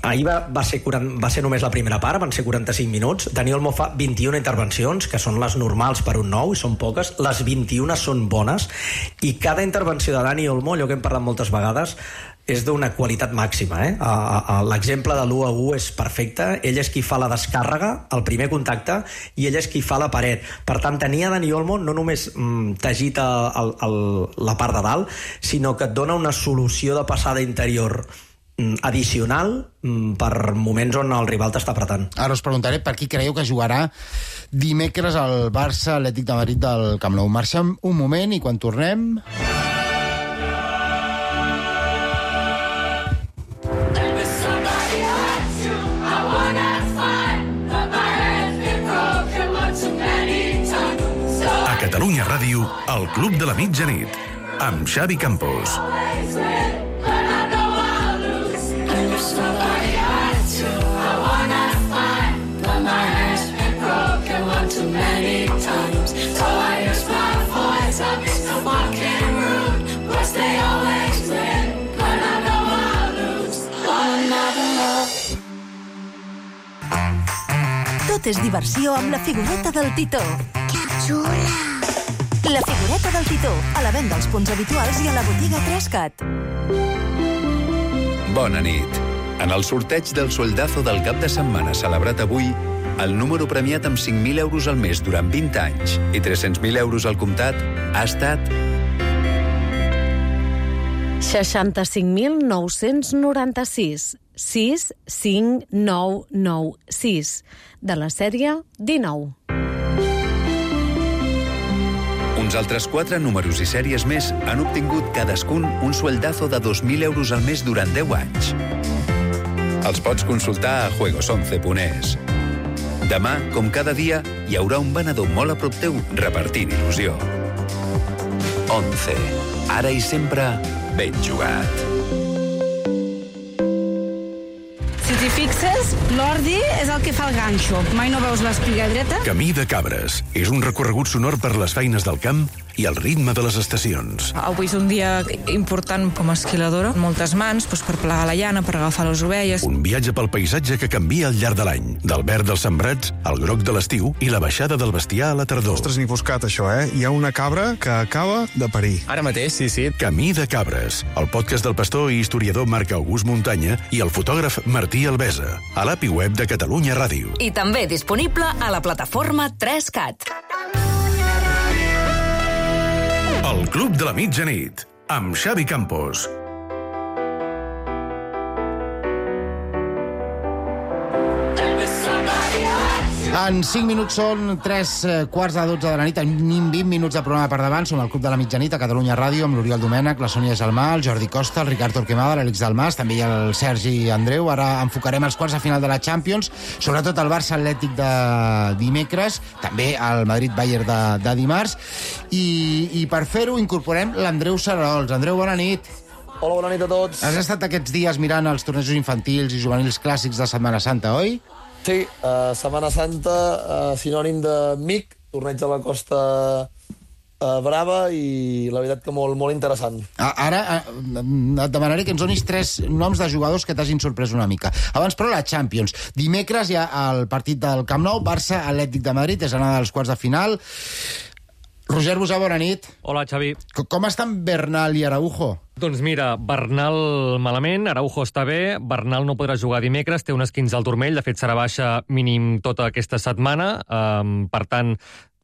Ahir va ser només la primera part, van ser 45 minuts. Dani Olmo fa 21 intervencions, que són les normals per un nou, i són poques. Les 21 són bones, i cada intervenció de Dani Olmo, allò que hem parlat moltes vegades, és d'una qualitat màxima. L'exemple de l'1-1 és perfecte. Ell és qui fa la descàrrega, el primer contacte, i ell és qui fa la paret. Per tant, tenia Dani Olmo no només t'agita la part de dalt, sinó que et dona una solució de passada interior addicional per moments on el rival t'està apretant. Ara us preguntaré per qui creieu que jugarà dimecres al Barça Atlètic de Madrid del Camp Nou. Marxem un moment i quan tornem... Catalunya Ràdio, el Club de la Mitjanit, amb Xavi Campos. Tot és diversió amb la figureta del Titó. Que xula! La figureta del Titó, a la venda als punts habituals i a la botiga 3CAT. Bona nit. En el sorteig del soldazo del cap de setmana celebrat avui, el número premiat amb 5.000 euros al mes durant 20 anys i 300.000 euros al comptat ha estat 65.996 65996 de la sèrie 19. Uns altres 4 números i sèries més han obtingut cadascun un sueldazo de 2.000 euros al mes durant 10 anys. Els pots consultar a juegos11.es. Demà, com cada dia, hi haurà un venedor molt a prop teu repartint il·lusió. 11. Ara i sempre, ben jugat. Si t'hi fixes, l'ordi és el que fa el ganxo. Mai no veus l'espiga dreta? Camí de Cabres és un recorregut sonor per les feines del camp i el ritme de les estacions. Avui és un dia important com a esquiladora. Moltes mans per plegar la llana, per agafar les ovelles. Un viatge pel paisatge que canvia al llarg de l'any. Del verd dels sembrats al groc de l'estiu i la baixada del bestiar a la tardor. Ostres, n'hi buscat, això, eh? Hi ha una cabra que acaba de parir. Ara mateix, sí. Camí de Cabres, el podcast del pastor i historiador Marc August Muntanya i el fotògraf Martí Albesa, a l'API web de Catalunya Ràdio. I també disponible a la plataforma 3CAT. El Club de la Mitjanit, amb Xavi Campos. En 5 minuts són 3 quarts de 12 de la nit, tenim 20 minuts de programa per davant. Som al Club de la Mitjanit a Catalunya Ràdio amb l'Oriol Domènech, la Sònia Gelmà, el Jordi Costa, el Ricard Torquemada, l'Àlex Dalmas, també hi ha el Sergi Andreu. Ara enfocarem els quarts de final de la Champions, sobretot el Barça Atlètic de dimecres, també el Madrid-Bayern de dimarts. I per fer-ho incorporem l'Andreu Sararols. Andreu, bona nit. Hola, bona nit a tots. Has estat aquests dies mirant els tornejos infantils i juvenils clàssics de Setmana Santa, oi? Sí, Setmana Santa, sinònim de MIC, torneig de la Costa Brava, i la veritat que molt interessant. Ara et demanaré que ens donis 3 noms de jugadors que t'hagin sorprès una mica. Abans, però, la Champions. Dimecres hi ha el partit del Camp Nou, Barça Atlètic de Madrid, és l'anada dels quarts de final. Roger Busà, bona nit. Hola, Xavi. Com estan Bernal i Araujo? Doncs mira, Bernal malament, Araujo està bé, Bernal no podrà jugar dimecres, té un esquinç al turmell, de fet serà baixa mínim tota aquesta setmana, per tant,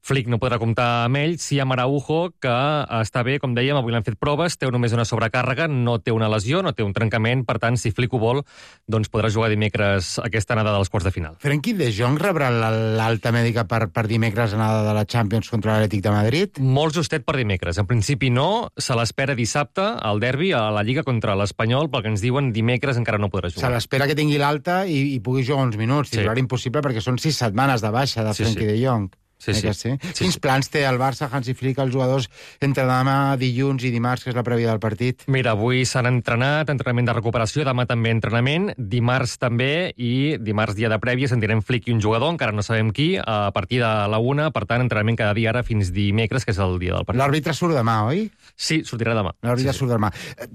Flick no podrà comptar amb ell. Sí amb Araujo, que està bé, com dèiem, avui l'han fet proves, té només una sobrecàrrega, no té una lesió, no té un trencament, per tant, si Flick ho vol, doncs podrà jugar dimecres aquesta anada dels quarts de final. Frenkie de Jong rebrà l'alta mèdica per dimecres anada de la Champions contra l'Atlètic de Madrid? Molt justet per dimecres. En principi no, se l'espera dissabte al derbi a la Lliga contra l'Espanyol, pel que ens diuen dimecres encara no podrà jugar. Se l'espera que tingui l'alta i pugui jugar uns minuts. Titular impossible perquè són 6 setmanes de baixa de Frenkie de Jong. Sí. Quins plans té el Barça, Hansi Flick, els jugadors entre demà, dilluns i dimarts, que és la prèvia del partit? Mira, avui s'han entrenat, entrenament de recuperació, demà també entrenament, dimarts també, i dimarts dia de prèvia sentirem Flick i un jugador, encara no sabem qui, a partir de la 1, per tant, entrenament cada dia ara fins dimecres, que és el dia del partit. L'àrbitre surt demà, oi? Sí, sortirà demà. L'àrbitre surt demà.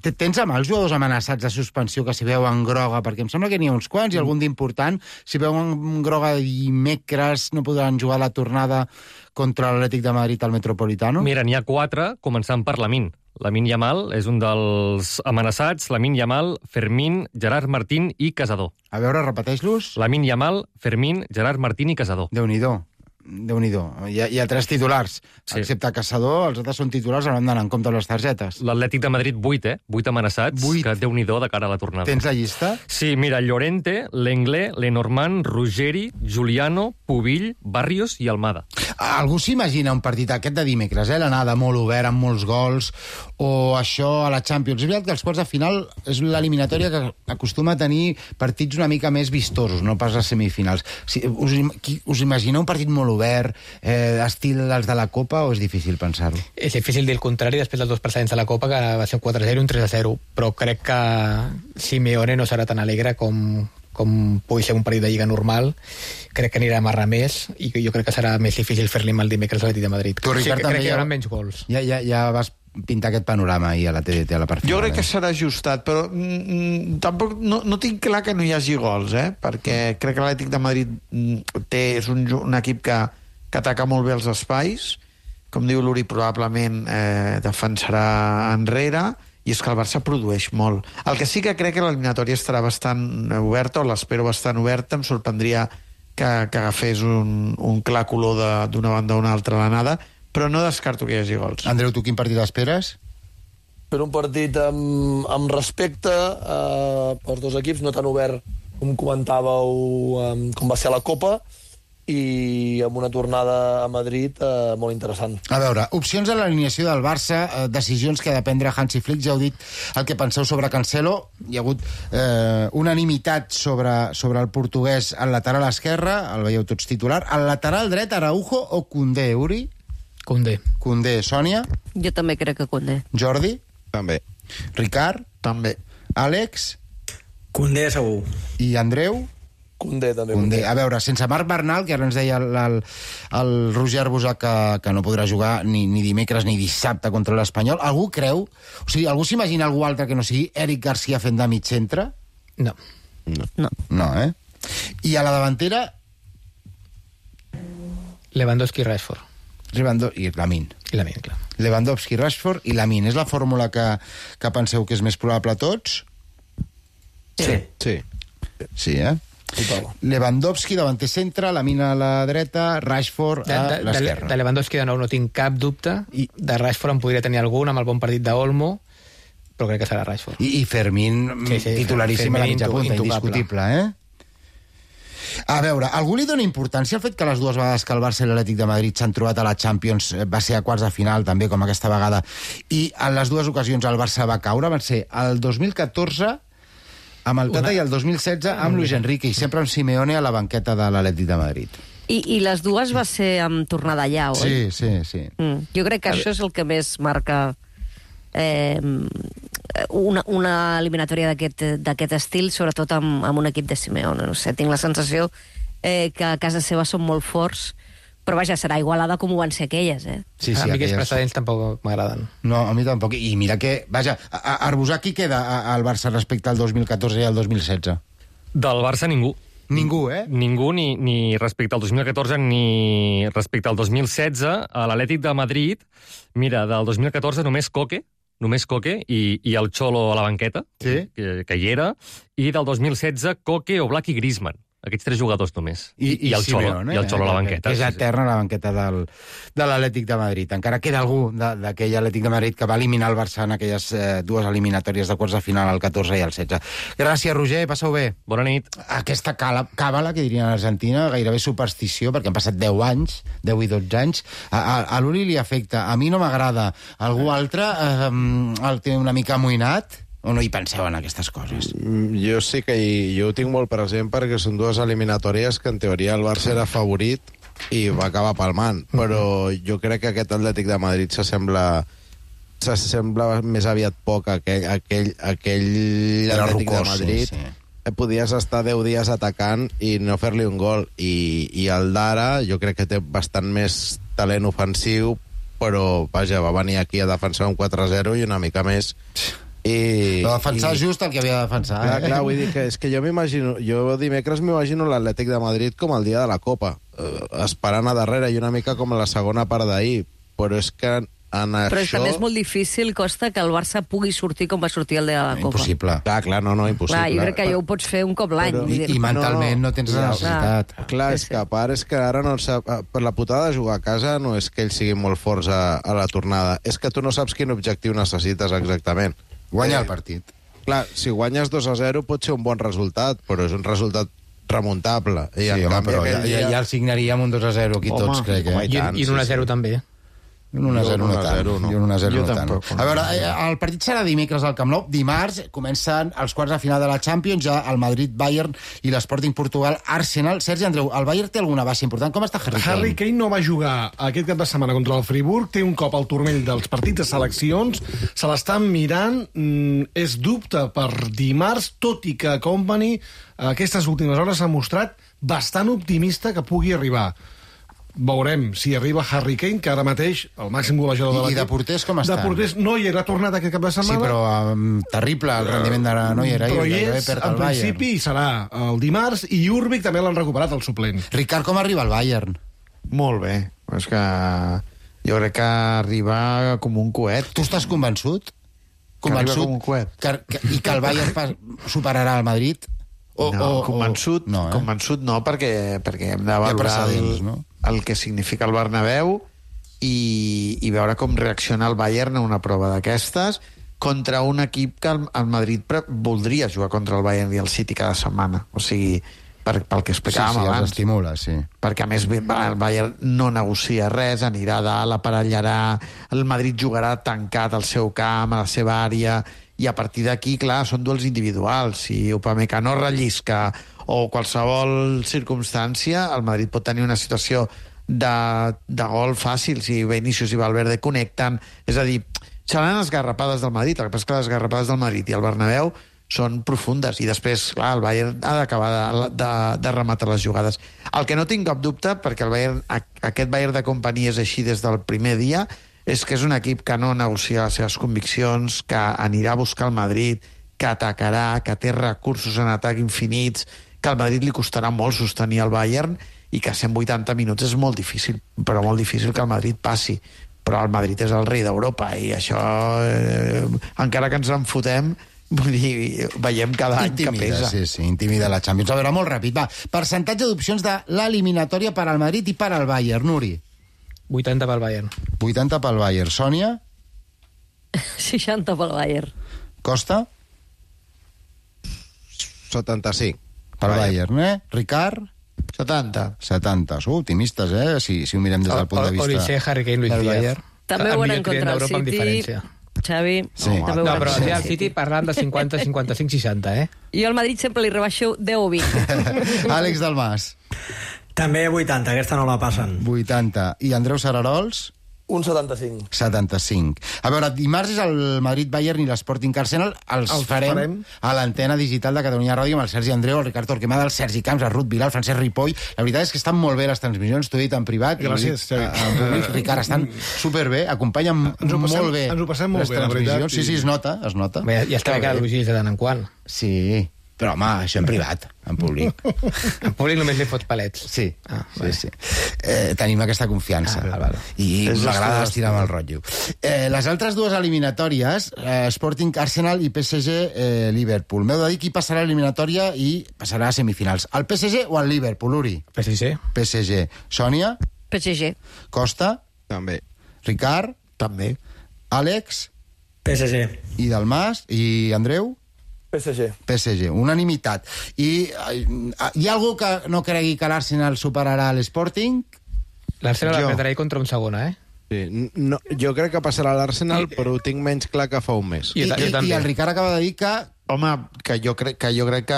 Tens amb els jugadors amenaçats de suspensió que s'hi veuen groga? Perquè em sembla que n'hi ha uns quants i algun d'important. Si veuen groga dimecres, no podran jugar la tornada contra l'Atlètic de Madrid al Metropolitano? Mira, n'hi ha 4, començant per Lamine. Lamine Yamal és un dels amenaçats. Lamine Yamal, Fermín, Gerard Martín i Casador. A veure, repeteix-los. Lamine Yamal, Fermín, Gerard Martín i Casador. Déu-n'hi-do. Hi ha 3 titulars. Sí. Excepte Caçador, els altres són titulars, hauran d'anar en compte les targetes. L'Atlètic de Madrid 8, 8 amenaçats, 8. Que Déu-n'hi-do de cara a la tornada. Tens la llista? Sí, mira, Llorente, Lenglet, Lenormand, Ruggeri, Giuliano, Pubill, Barrios i Almada. Algú s'imagina un partit aquest de dimecres, l'anada molt obert, amb molts gols, o això a la Champions? És veritat que els quarts de final és l'eliminatòria que acostuma a tenir partits una mica més vistosos, no pas les semifinals. Us imagineu un partit molt obert, estil dels de la Copa, o és difícil pensar-ho? És difícil dir el contrari després dels 2 precedents de la Copa, que va ser un 4-0 i un 3-0, però crec que Simeone no serà tan alegre com pugui ser un partit de Lliga normal. Crec que anirà a amarrar més i jo crec que serà més difícil fer-li mal dimecres a l'Atlètic de Madrid. Tu, Ricard, crec que hi haurà menys gols. Ja vas pintar aquest panorama ahir a la TDT, a la part final. Jo crec que serà ajustat, però tampoc no tinc clar que no hi hagi gols, perquè crec que l'Atlètic de Madrid és un equip que ataca molt bé els espais, com diu l'Uri, probablement defensarà enrere, i és que el Barça produeix molt. El que sí que crec que l'eliminatòria estarà bastant oberta, o l'espero bastant oberta, em sorprendria que agafés un clar color d'una banda a una altra a l'anada, però no descarto que hi hagi gols. Andreu, tu quin partit esperes? Per un partit amb respecte pels dos equips, no tan obert com comentàveu com va ser a la Copa, i amb una tornada a Madrid molt interessant. A veure, opcions a l'alineació del Barça, decisions que ha de prendre Hansi Flick. Ja heu dit el que penseu sobre Cancelo. Hi ha hagut unanimitat sobre el portuguès al lateral esquerre, el veieu tots titular. Al lateral dret, Araujo o Koundé, Uri? Koundé. Sònia? Jo també crec que Koundé. Jordi? També. Ricard? També. Àlex? Condé segur. I Andreu? Condé, també. Condé. A veure, sense Marc Bernal, que ara ens deia el Roger Arbusà que no podrà jugar ni dimecres ni dissabte contra l'Espanyol, algú creu? O sigui, algú s'imagina algú altre que no sigui Eric Garcia fent de mig centre? No. No, eh? I a la davantera? Lewandowski i Rashford. I Lamine. Clar. Lewandowski, Rashford i Lamine. És la fórmula que penseu que és més probable a tots? Sí, eh? Lewandowski davanter centre, Lamine a la dreta, Rashford a l'esquerra. De Lewandowski de nou no tinc cap dubte, i de Rashford en podria tenir algun amb el bon partit d'Olmo, però crec que serà Rashford. I Fermín, titularíssim a la mitja punta, indiscutible, eh? A veure, algú li dona importància al fet que les dues vegades que el Barça i l'Atlètic de Madrid s'han trobat a la Champions va ser a quarts de final, també, com aquesta vegada, i en les dues ocasions el Barça va caure, van ser el 2014 amb el Tata i el 2016 amb Luis Enrique, i sempre amb Simeone a la banqueta de l'Atlètic de Madrid. I les dues va ser amb tornada allà, oi? Sí. Jo crec que això és el que més marca una eliminatòria d'aquest estil, sobretot amb un equip de Simeone. No sé, tinc la sensació que a casa seva són molt forts, però vaja, serà igualada com ho van ser aquelles, eh? Sí, a mi aquests precedents tampoc m'agraden. No, a mi tampoc. I mira que, vaja, Arbusà, qui queda al Barça respecte al 2014 i al 2016? Del Barça ningú. Ningú, eh? Ningú, ni respecte al 2014 ni respecte al 2016. A l'Atlètic de Madrid, mira, del 2014 només Coque i el Cholo a la banqueta, que hi era, i del 2016 Coque, Oblak i Griezmann. Aquests tres jugadors només. I el Simeone, i el Cholo a la banqueta. Que és eterna a la banqueta de l'Atlètic de Madrid. Encara queda algú d'aquell Atlètic de Madrid que va eliminar el Barça en aquelles dues eliminatòries de quarts de final, el 14 i el 16. Gràcies, Roger, passeu bé. Bona nit. Aquesta càbala, que dirien a l'Argentina, gairebé superstició, perquè han passat 10 anys, 10 i 12 anys, a l'Uri li afecta. A mi no m'agrada. Algú altre el té una mica amoïnat? O no hi penseu en aquestes coses? Jo sí que jo ho tinc molt present, perquè són dues eliminatòries que en teoria el Barça era favorit i va acabar palmant, però jo crec que aquest Atlètic de Madrid s'assembla més aviat poc a aquell Atlètic de Madrid. Podies estar 10 dies atacant i no fer-li un gol, i el d'ara jo crec que té bastant més talent ofensiu, però vaja, va venir aquí a defensar un 4-0 i una mica més. Va defensar just el que havia de defensar. Clar, vull dir que és que jo dimecres m'imagino l'Atlètic de Madrid com el dia de la Copa, esperant a darrere i una mica com la segona part d'ahir, però és que però també és molt difícil, Costa, que el Barça pugui sortir com va sortir el dia de la Copa. Impossible. Clar, no, impossible. Clar, jo crec que ja ho pots fer un cop l'any. I mentalment no tens la necessitat. Clar, és que a part és que ara no sap, per la putada de jugar a casa no és que ells siguin molt forts a la tornada, és que tu no saps quin objectiu necessites exactament. Guanyar el partit. Clar, si guanyes 2-0 pot ser un bon resultat, però és un resultat remuntable. Sí, home, però ja el signaríem un 2-0 aquí tots, crec. I un 1-0 també. Un 1-0 no tant. A veure, el partit serà dimecres al Camp Nou. Dimarts comencen els quarts de final de la Champions, ja el Madrid-Bayern i l'Sporting Portugal-Arsenal. Sergi Andreu, el Bayern té alguna baixa important? Com està Harry Kane? Harry Kane no va jugar aquest cap de setmana contra el Friburg, té un cop al turmell dels partits de seleccions, se l'estan mirant, és dubte per dimarts, tot i que Company aquestes últimes hores s'ha mostrat bastant optimista que pugui arribar. Veurem si arriba Harry Kane, que ara mateix el màxim golejador de l'equip. I de porters com estan? De porters Neuer ha tornat aquest cap de setmana. Sí, però terrible el rendiment de Neuer. Però hi és, en principi, serà el dimarts, i Jurbic també l'han recuperat, el suplent. Ricard, com arriba el Bayern? Molt bé. És que jo crec que arriba com un coet. Tu estàs convençut? Convençut? Com un coet. I que el Bayern superarà el Madrid? Convençut no, perquè hem de valorar el que significa el Bernabéu i veure com reacciona el Bayern a una prova d'aquestes contra un equip que el Madrid voldria jugar contra el Bayern i el City cada setmana. O sigui, pel que explicàvem abans. Els estimula, sí. Perquè, a més, el Bayern no negocia res, anirà a dalt, aparellarà, el Madrid jugarà tancat al seu camp, a la seva àrea, i a partir d'aquí, clar, són duels individuals. Si Upamecano rellisca o qualsevol circumstància, el Madrid pot tenir una situació de gol fàcil si Vinícius i Valverde connecten. És a dir, seran esgarrapades del Madrid. El que passa és que les esgarrapades del Madrid i el Bernabéu són profundes, i després, clar, el Bayern ha d'acabar de rematar les jugades. El que no tinc cap dubte, perquè el Bayern, aquest Bayern de companyia és així des del primer dia, és que és un equip que no negocia les seves conviccions, que anirà a buscar el Madrid, que atacarà, que té recursos en atac infinits, que al Madrid li costarà molt sostenir el Bayern, i que 180 minuts és molt difícil, però molt difícil que el Madrid passi. Però el Madrid és el rei d'Europa, i això, encara que ens en fotem, vull dir, veiem cada any que pesa. Sí, intimida la Champions. A veure, molt ràpid, va. Percentatge d'opcions de l'eliminatòria per al Madrid i per al Bayern, Nuri. 80 pel Bayern. 80 pel Bayern. Sònia? 60 pel Bayern. Costa? 75. Pel Bayern, Ricard? 70. 70. Sou optimistes, si ho mirem des del punt de vista... Olise, Harry Kane, Luis Díaz. També ho van contra el City. Xavi, també ho no, però el City parlant de 50, 55, 60, Jo al Madrid sempre li rebaixo 10 o 20. Àlex Dalmas. També 80, aquesta no la passen. 80. I Andreu Sararols? Un 75. 75. A veure, dimarts és el Madrid-Bayern i l'Sporting Arsenal. Els farem a l'antena digital de Catalunya Ràdio amb el Sergi Andreu, el Ricard Torquemada, el Sergi Camps, el Ruth Vilà, el Francesc Ripoll. La veritat és que estan molt bé les transmissions, t'ho he dit en privat. Gràcies, Xavi. Ricard, estan superbé, acompanyen molt bé. Ens ho passem molt bé, la veritat. Sí, es nota. Ja està bé que elogies de tant en quant. Sí, però home, això en privat, en públic. En públic només li fots palets. Sí. Tenim aquesta confiança. I m'agrada estirar amb el rotllo. Les altres dues eliminatòries, Sporting Arsenal i PSG Liverpool. M'heu de dir qui passarà a l'eliminatòria i passarà a semifinals. El PSG o el Liverpool, Uri? PSG. Sònia? PSG. Costa? També. Ricard? També. Àlex? PSG. I Dalmas? I Andreu? PSG. Unanimitat. I hi ha algú que no cregui que l'Arsenal superarà l'Sporting? L'Arsenal la perdrà contra un segona, Sí, no, jo crec que passarà l'Arsenal, però ho tinc menys clar que fa un mes. I el Ricard acaba de dir que... Home, que jo crec que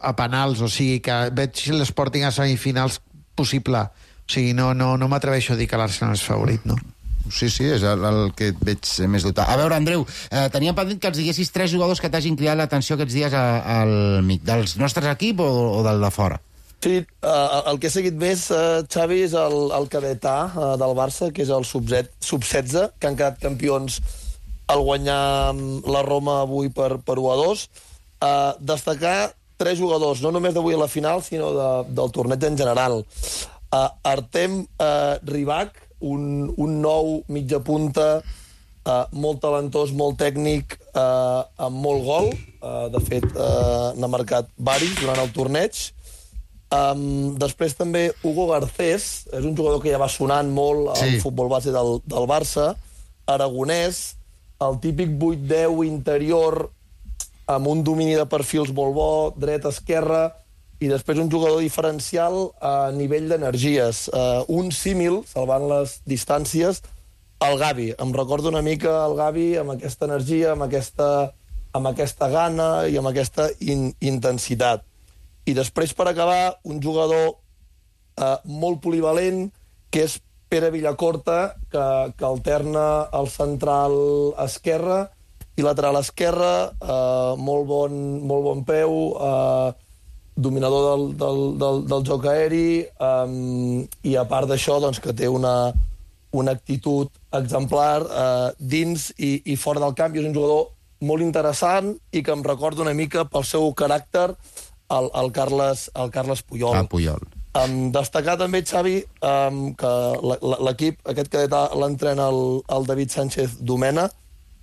a penals, o sigui, que veig l'Sporting a semifinals possible. O sigui, no m'atreveixo a dir que l'Arsenal és favorit, no? Sí, és el que et veig més dotat. A veure, Andreu, teníem pendent que ens diguessis 3 jugadors que t'hagin cridat l'atenció aquests dies al MIC, dels nostres equip o del de fora? Sí, el que he seguit més, Xavi, és el cadet A del Barça, que és el sub-16, que han quedat campions al guanyar la Roma avui per 1-2. Destacar 3 jugadors, no només d'avui a la final, sinó del torneig en general. Artem Rybak, un nou mitja punta, molt talentós, molt tècnic, amb molt gol. De fet, n'ha marcat varis durant el torneig. Després també Hugo Garcés, és un jugador que ja va sonant molt al futbol base del Barça, aragonès, el típic 8-10 interior, amb un domini de perfils molt bo, dret-esquerra, i després un jugador diferencial a nivell d'energies. Un símil, salvant les distàncies, el Gavi. Em recordo una mica el Gavi amb aquesta energia, amb aquesta gana i amb aquesta intensitat. I després, per acabar, un jugador molt polivalent, que és Pere Villacorta, que alterna el central esquerre i lateral esquerre, molt bon peu, dominador del joc aeri, i a part d'això, doncs, que té una actitud exemplar dins i fora del camp, i és un jugador molt interessant i que em recorda una mica pel seu caràcter el Carles Puyol. Puyol. Destacar també, Xavi, que l'equip, aquest cadet l'entrena el David Sánchez Domena,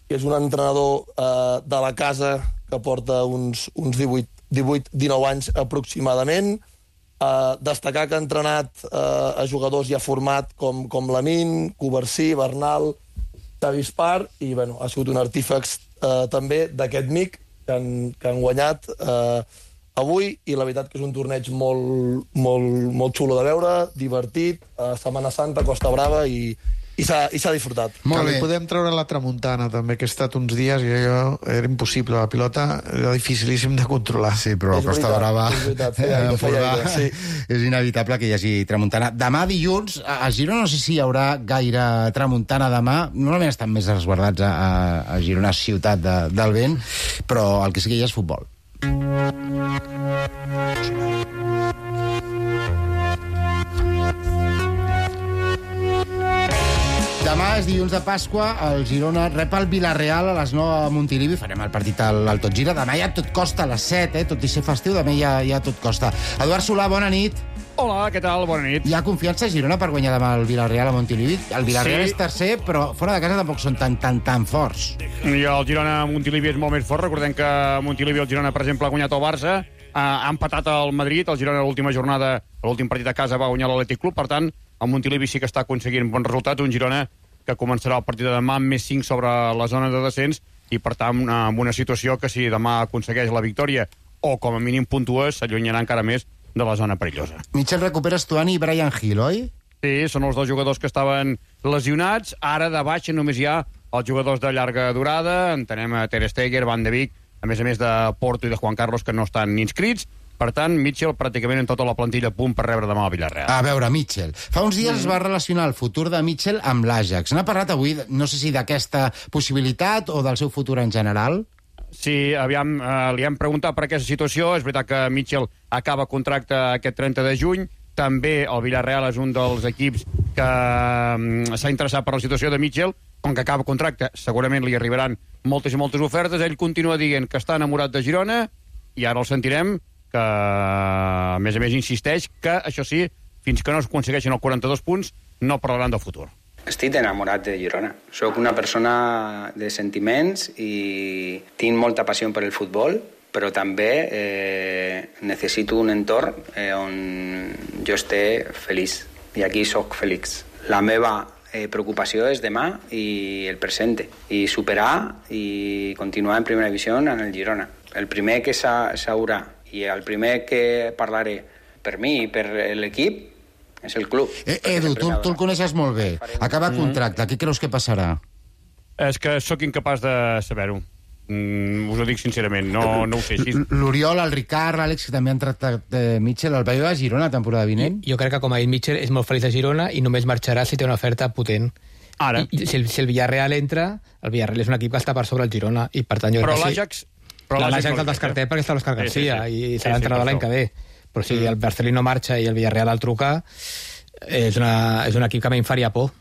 que és un entrenador de la casa que porta uns 18-19 anys aproximadament. Destacar que ha entrenat a jugadors ja format com Lamine, Covarsí, Bernal, Xavi Espar, i ha sigut un artífex també d'aquest MIC que han guanyat avui, i la veritat que és un torneig molt xulo de veure, divertit, Setmana Santa, Costa Brava, i i s'ha disfrutat. Que li podem treure la tramuntana, també, que he estat uns dies i allò era impossible. La pilota era dificilíssim de controlar. Sí, però la Costa Brava és inevitable que hi hagi tramuntana. Demà dilluns, a Girona no sé si hi haurà gaire tramuntana demà. Normalment estan més resguardats a Girona, ciutat del vent, però el que sí que hi ha és futbol. Demà és dilluns de Pasqua, el Girona rep el Villarreal a les 9 a Montilivi, farem el partit al Tot Gira. Demà ja tot costa a les 7, tot i ser festiu, demà ja tot costa. Eduard Solà, bona nit. Hola, què tal? Bona nit. Hi ha confiança a Girona per guanyar demà el Villarreal a Montilivi? El Villarreal és tercer, però fora de casa tampoc són tan forts. I el Girona a Montilivi és molt més fort. Recordem que a Montilivi el Girona, per exemple, ha guanyat el Barça, ha empatat el Madrid, el Girona a l'última jornada, a l'últim partit a casa va guanyar l'Atlètic Club, per tant, el Montilivi sí que està aconseguint bons resultats, un Girona que començarà el partit de demà amb més 5 sobre la zona de descens i, per tant, amb una situació que si demà aconsegueix la victòria o, com a mínim, puntua, s'allunyarà encara més de la zona perillosa. Mitchell recupera Stuani i Brian Hill, oi? Sí, són els dos jugadors que estaven lesionats. Ara de baixa només hi ha els jugadors de llarga durada. Entenem a Ter Stegen, Van de Beek, a més de Porto i de Juan Carlos, que no estan inscrits. Per tant, Mitchell pràcticament en tota la plantilla a punt per rebre demà el Villarreal. A veure, Mitchell. Fa uns dies es va relacionar el futur de Mitchell amb l'Ajax. N'ha parlat avui, no sé si d'aquesta possibilitat o del seu futur en general? Sí, aviam, li hem preguntat per aquesta situació. És veritat que Mitchell acaba contracte aquest 30 de juny. També el Villarreal és un dels equips que s'ha interessat per la situació de Mitchell. Com que acaba contracte, segurament li arribaran moltes i moltes ofertes. Ell continua dient que està enamorat de Girona i ara el sentirem que, a més, insisteix que, això sí, fins que no es aconsegueixin els 42 punts, no parlaran del futur. Estic enamorat de Girona. Soc una persona de sentiments i tinc molta passió per el futbol, però també necessito un entorn on jo estigui feliç. I aquí sóc feliç. La meva preocupació és demà i el present, i superar i continuar en primera divisió en el Girona. El primer que s'haurà i el primer que parlaré per mi i per l'equip és el club. Edu, tu el coneixes molt bé. Acaba contracte, què creus que passarà? És que sóc incapaç de saber-ho. Us ho dic sincerament, no ho sé. L'Oriol, el Ricard, l'Àlex, que també han tractat Mitchell, el veieu a Girona la temporada vinent? Jo crec que, com ha dit Mitchell, és molt feliç a Girona i només marxarà si té una oferta potent. Ara. I si el Villarreal entra, el Villarreal és un equip que està per sobre el Girona i, per tant, jo crec que sí. L'Ajax el descartem perquè està l'Òscar Garcia i serà entrenador l'any que ve. Però si el Barcelona marxa i el Villarreal el truca, és un equip que a mi em faria por.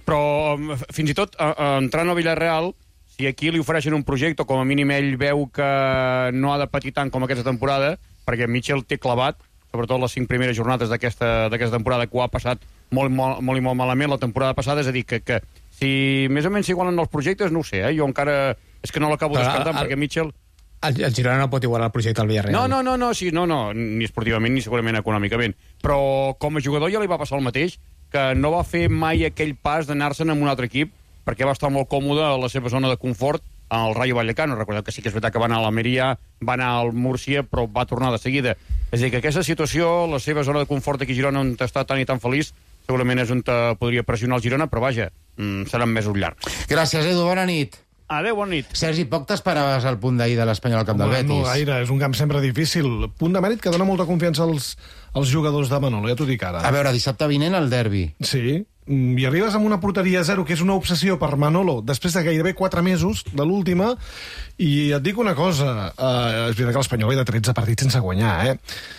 Però fins i tot entrant al Villarreal, si aquí li ofereixen un projecte, com a mínim ell veu que no ha de patir tant com aquesta temporada, perquè Mitchell té clavat, sobretot les 5 primeres jornades d'aquesta temporada, que ho ha passat molt malament la temporada passada, és a dir, que si més o menys s'igualen els projectes, no ho sé, jo encara és que no l'acabo descartant, perquè Mitchell... El Girona no pot igualar el projecte al Villarreal. No, ni esportivament ni segurament econòmicament. Però com a jugador ja li va passar el mateix, que no va fer mai aquell pas d'anar-se'n amb un altre equip, perquè va estar molt còmode a la seva zona de confort al Rayo Vallecano. Recordeu que sí que és veritat que va anar a l'Almeria, va anar al Múrcia, però va tornar de seguida. És a dir, que aquesta situació, la seva zona de confort aquí a Girona, on està tan i tan feliç, segurament és on podria pressionar el Girona, però vaja, seran mesos llargs. Gràcies, Edu, bona nit. Adéu, bona nit. Sergi, poc t'esperaves al punt d'ahir de l'Espanyol al camp del Betis? No gaire, és un camp sempre difícil. Punt de mèrit que dona molta confiança als jugadors de Manolo, ja t'ho dic ara. A veure, dissabte vinent el derbi. Sí, i arribes amb una porteria 0, que és una obsessió per Manolo, després de gairebé 4 mesos de l'última, i et dic una cosa, és veritat que l'Espanyol ve de 13 partits sense guanyar,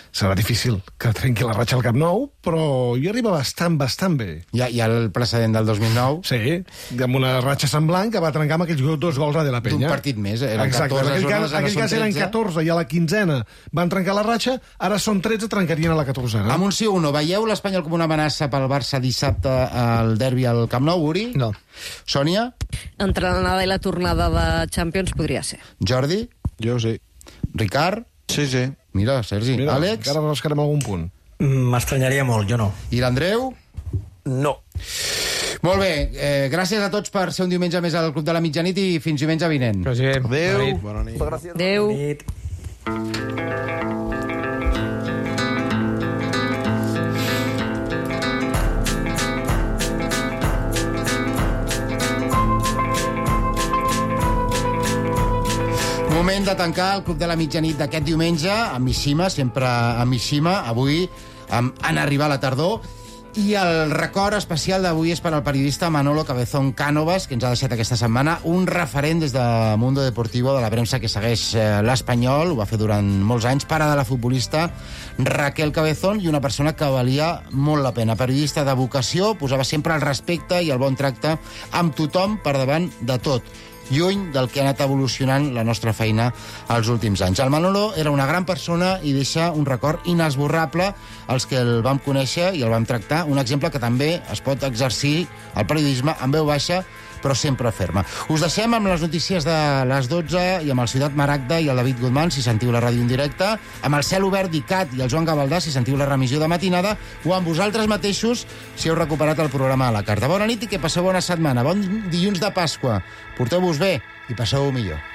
serà difícil que trenqui la ratxa al Camp Nou, però hi arriba bastant bé. Hi ha el precedent del 2009? Sí, amb una ratxa semblant que va trencar amb aquells 2 gols a De La Penya. D'un partit més, eren 14 Exacte, jornades, en aquell cas eren 14 i a la 15ena van trencar la ratxa, ara són 13, trencarien a la 14ena. Amb un sí o un no, veieu l'Espanyol com una amenaça pel Barça dissabte al derbi al Camp Nou, Uri? No. Sònia? Entre l'anada i la tornada de Champions podria ser. Jordi? Jo sí. Ricard? Sí. Mira, Sergi. Mira, Àlex? encara rascarem algun punt. M'estranyaria molt, jo no. I l'Andreu? No. Molt bé, gràcies a tots per ser un diumenge més al Club de la Mitjanit i fins diumenge vinent. Adéu. Bona nit. Adéu. Bona nit. de tancar el Club de la Mitjanit d'aquest diumenge amb Mishima, sempre amb Mishima, avui en arribar a la tardor. I el record especial d'avui és per al periodista Manolo Cabezón Cánovas, que ens ha deixat aquesta setmana un referent des de Mundo Deportivo, de la premsa que segueix l'Espanyol, ho va fer durant molts anys, pare de la futbolista Raquel Cabezón, i una persona que valia molt la pena. Periodista de vocació, posava sempre el respecte i el bon tracte amb tothom per davant de tot, lluny del que ha anat evolucionant la nostra feina els últims anys. El Manolo era una gran persona i deixa un record inesborrable als que el vam conèixer i el vam tractar, un exemple que també es pot exercir al periodisme amb veu baixa, però sempre ferma. Us deixem amb les notícies de les 12 i amb el Ciutat Maragda i el David Guzmán, si sentiu la ràdio en directe, amb el Cel Obert d'ICAT i el Joan Gavaldà, si sentiu la remissió de matinada, o amb vosaltres mateixos, si heu recuperat el programa a la carta. Bona nit i que passeu bona setmana. Bon dilluns de Pasqua. Porteu-vos bé i passeu millor.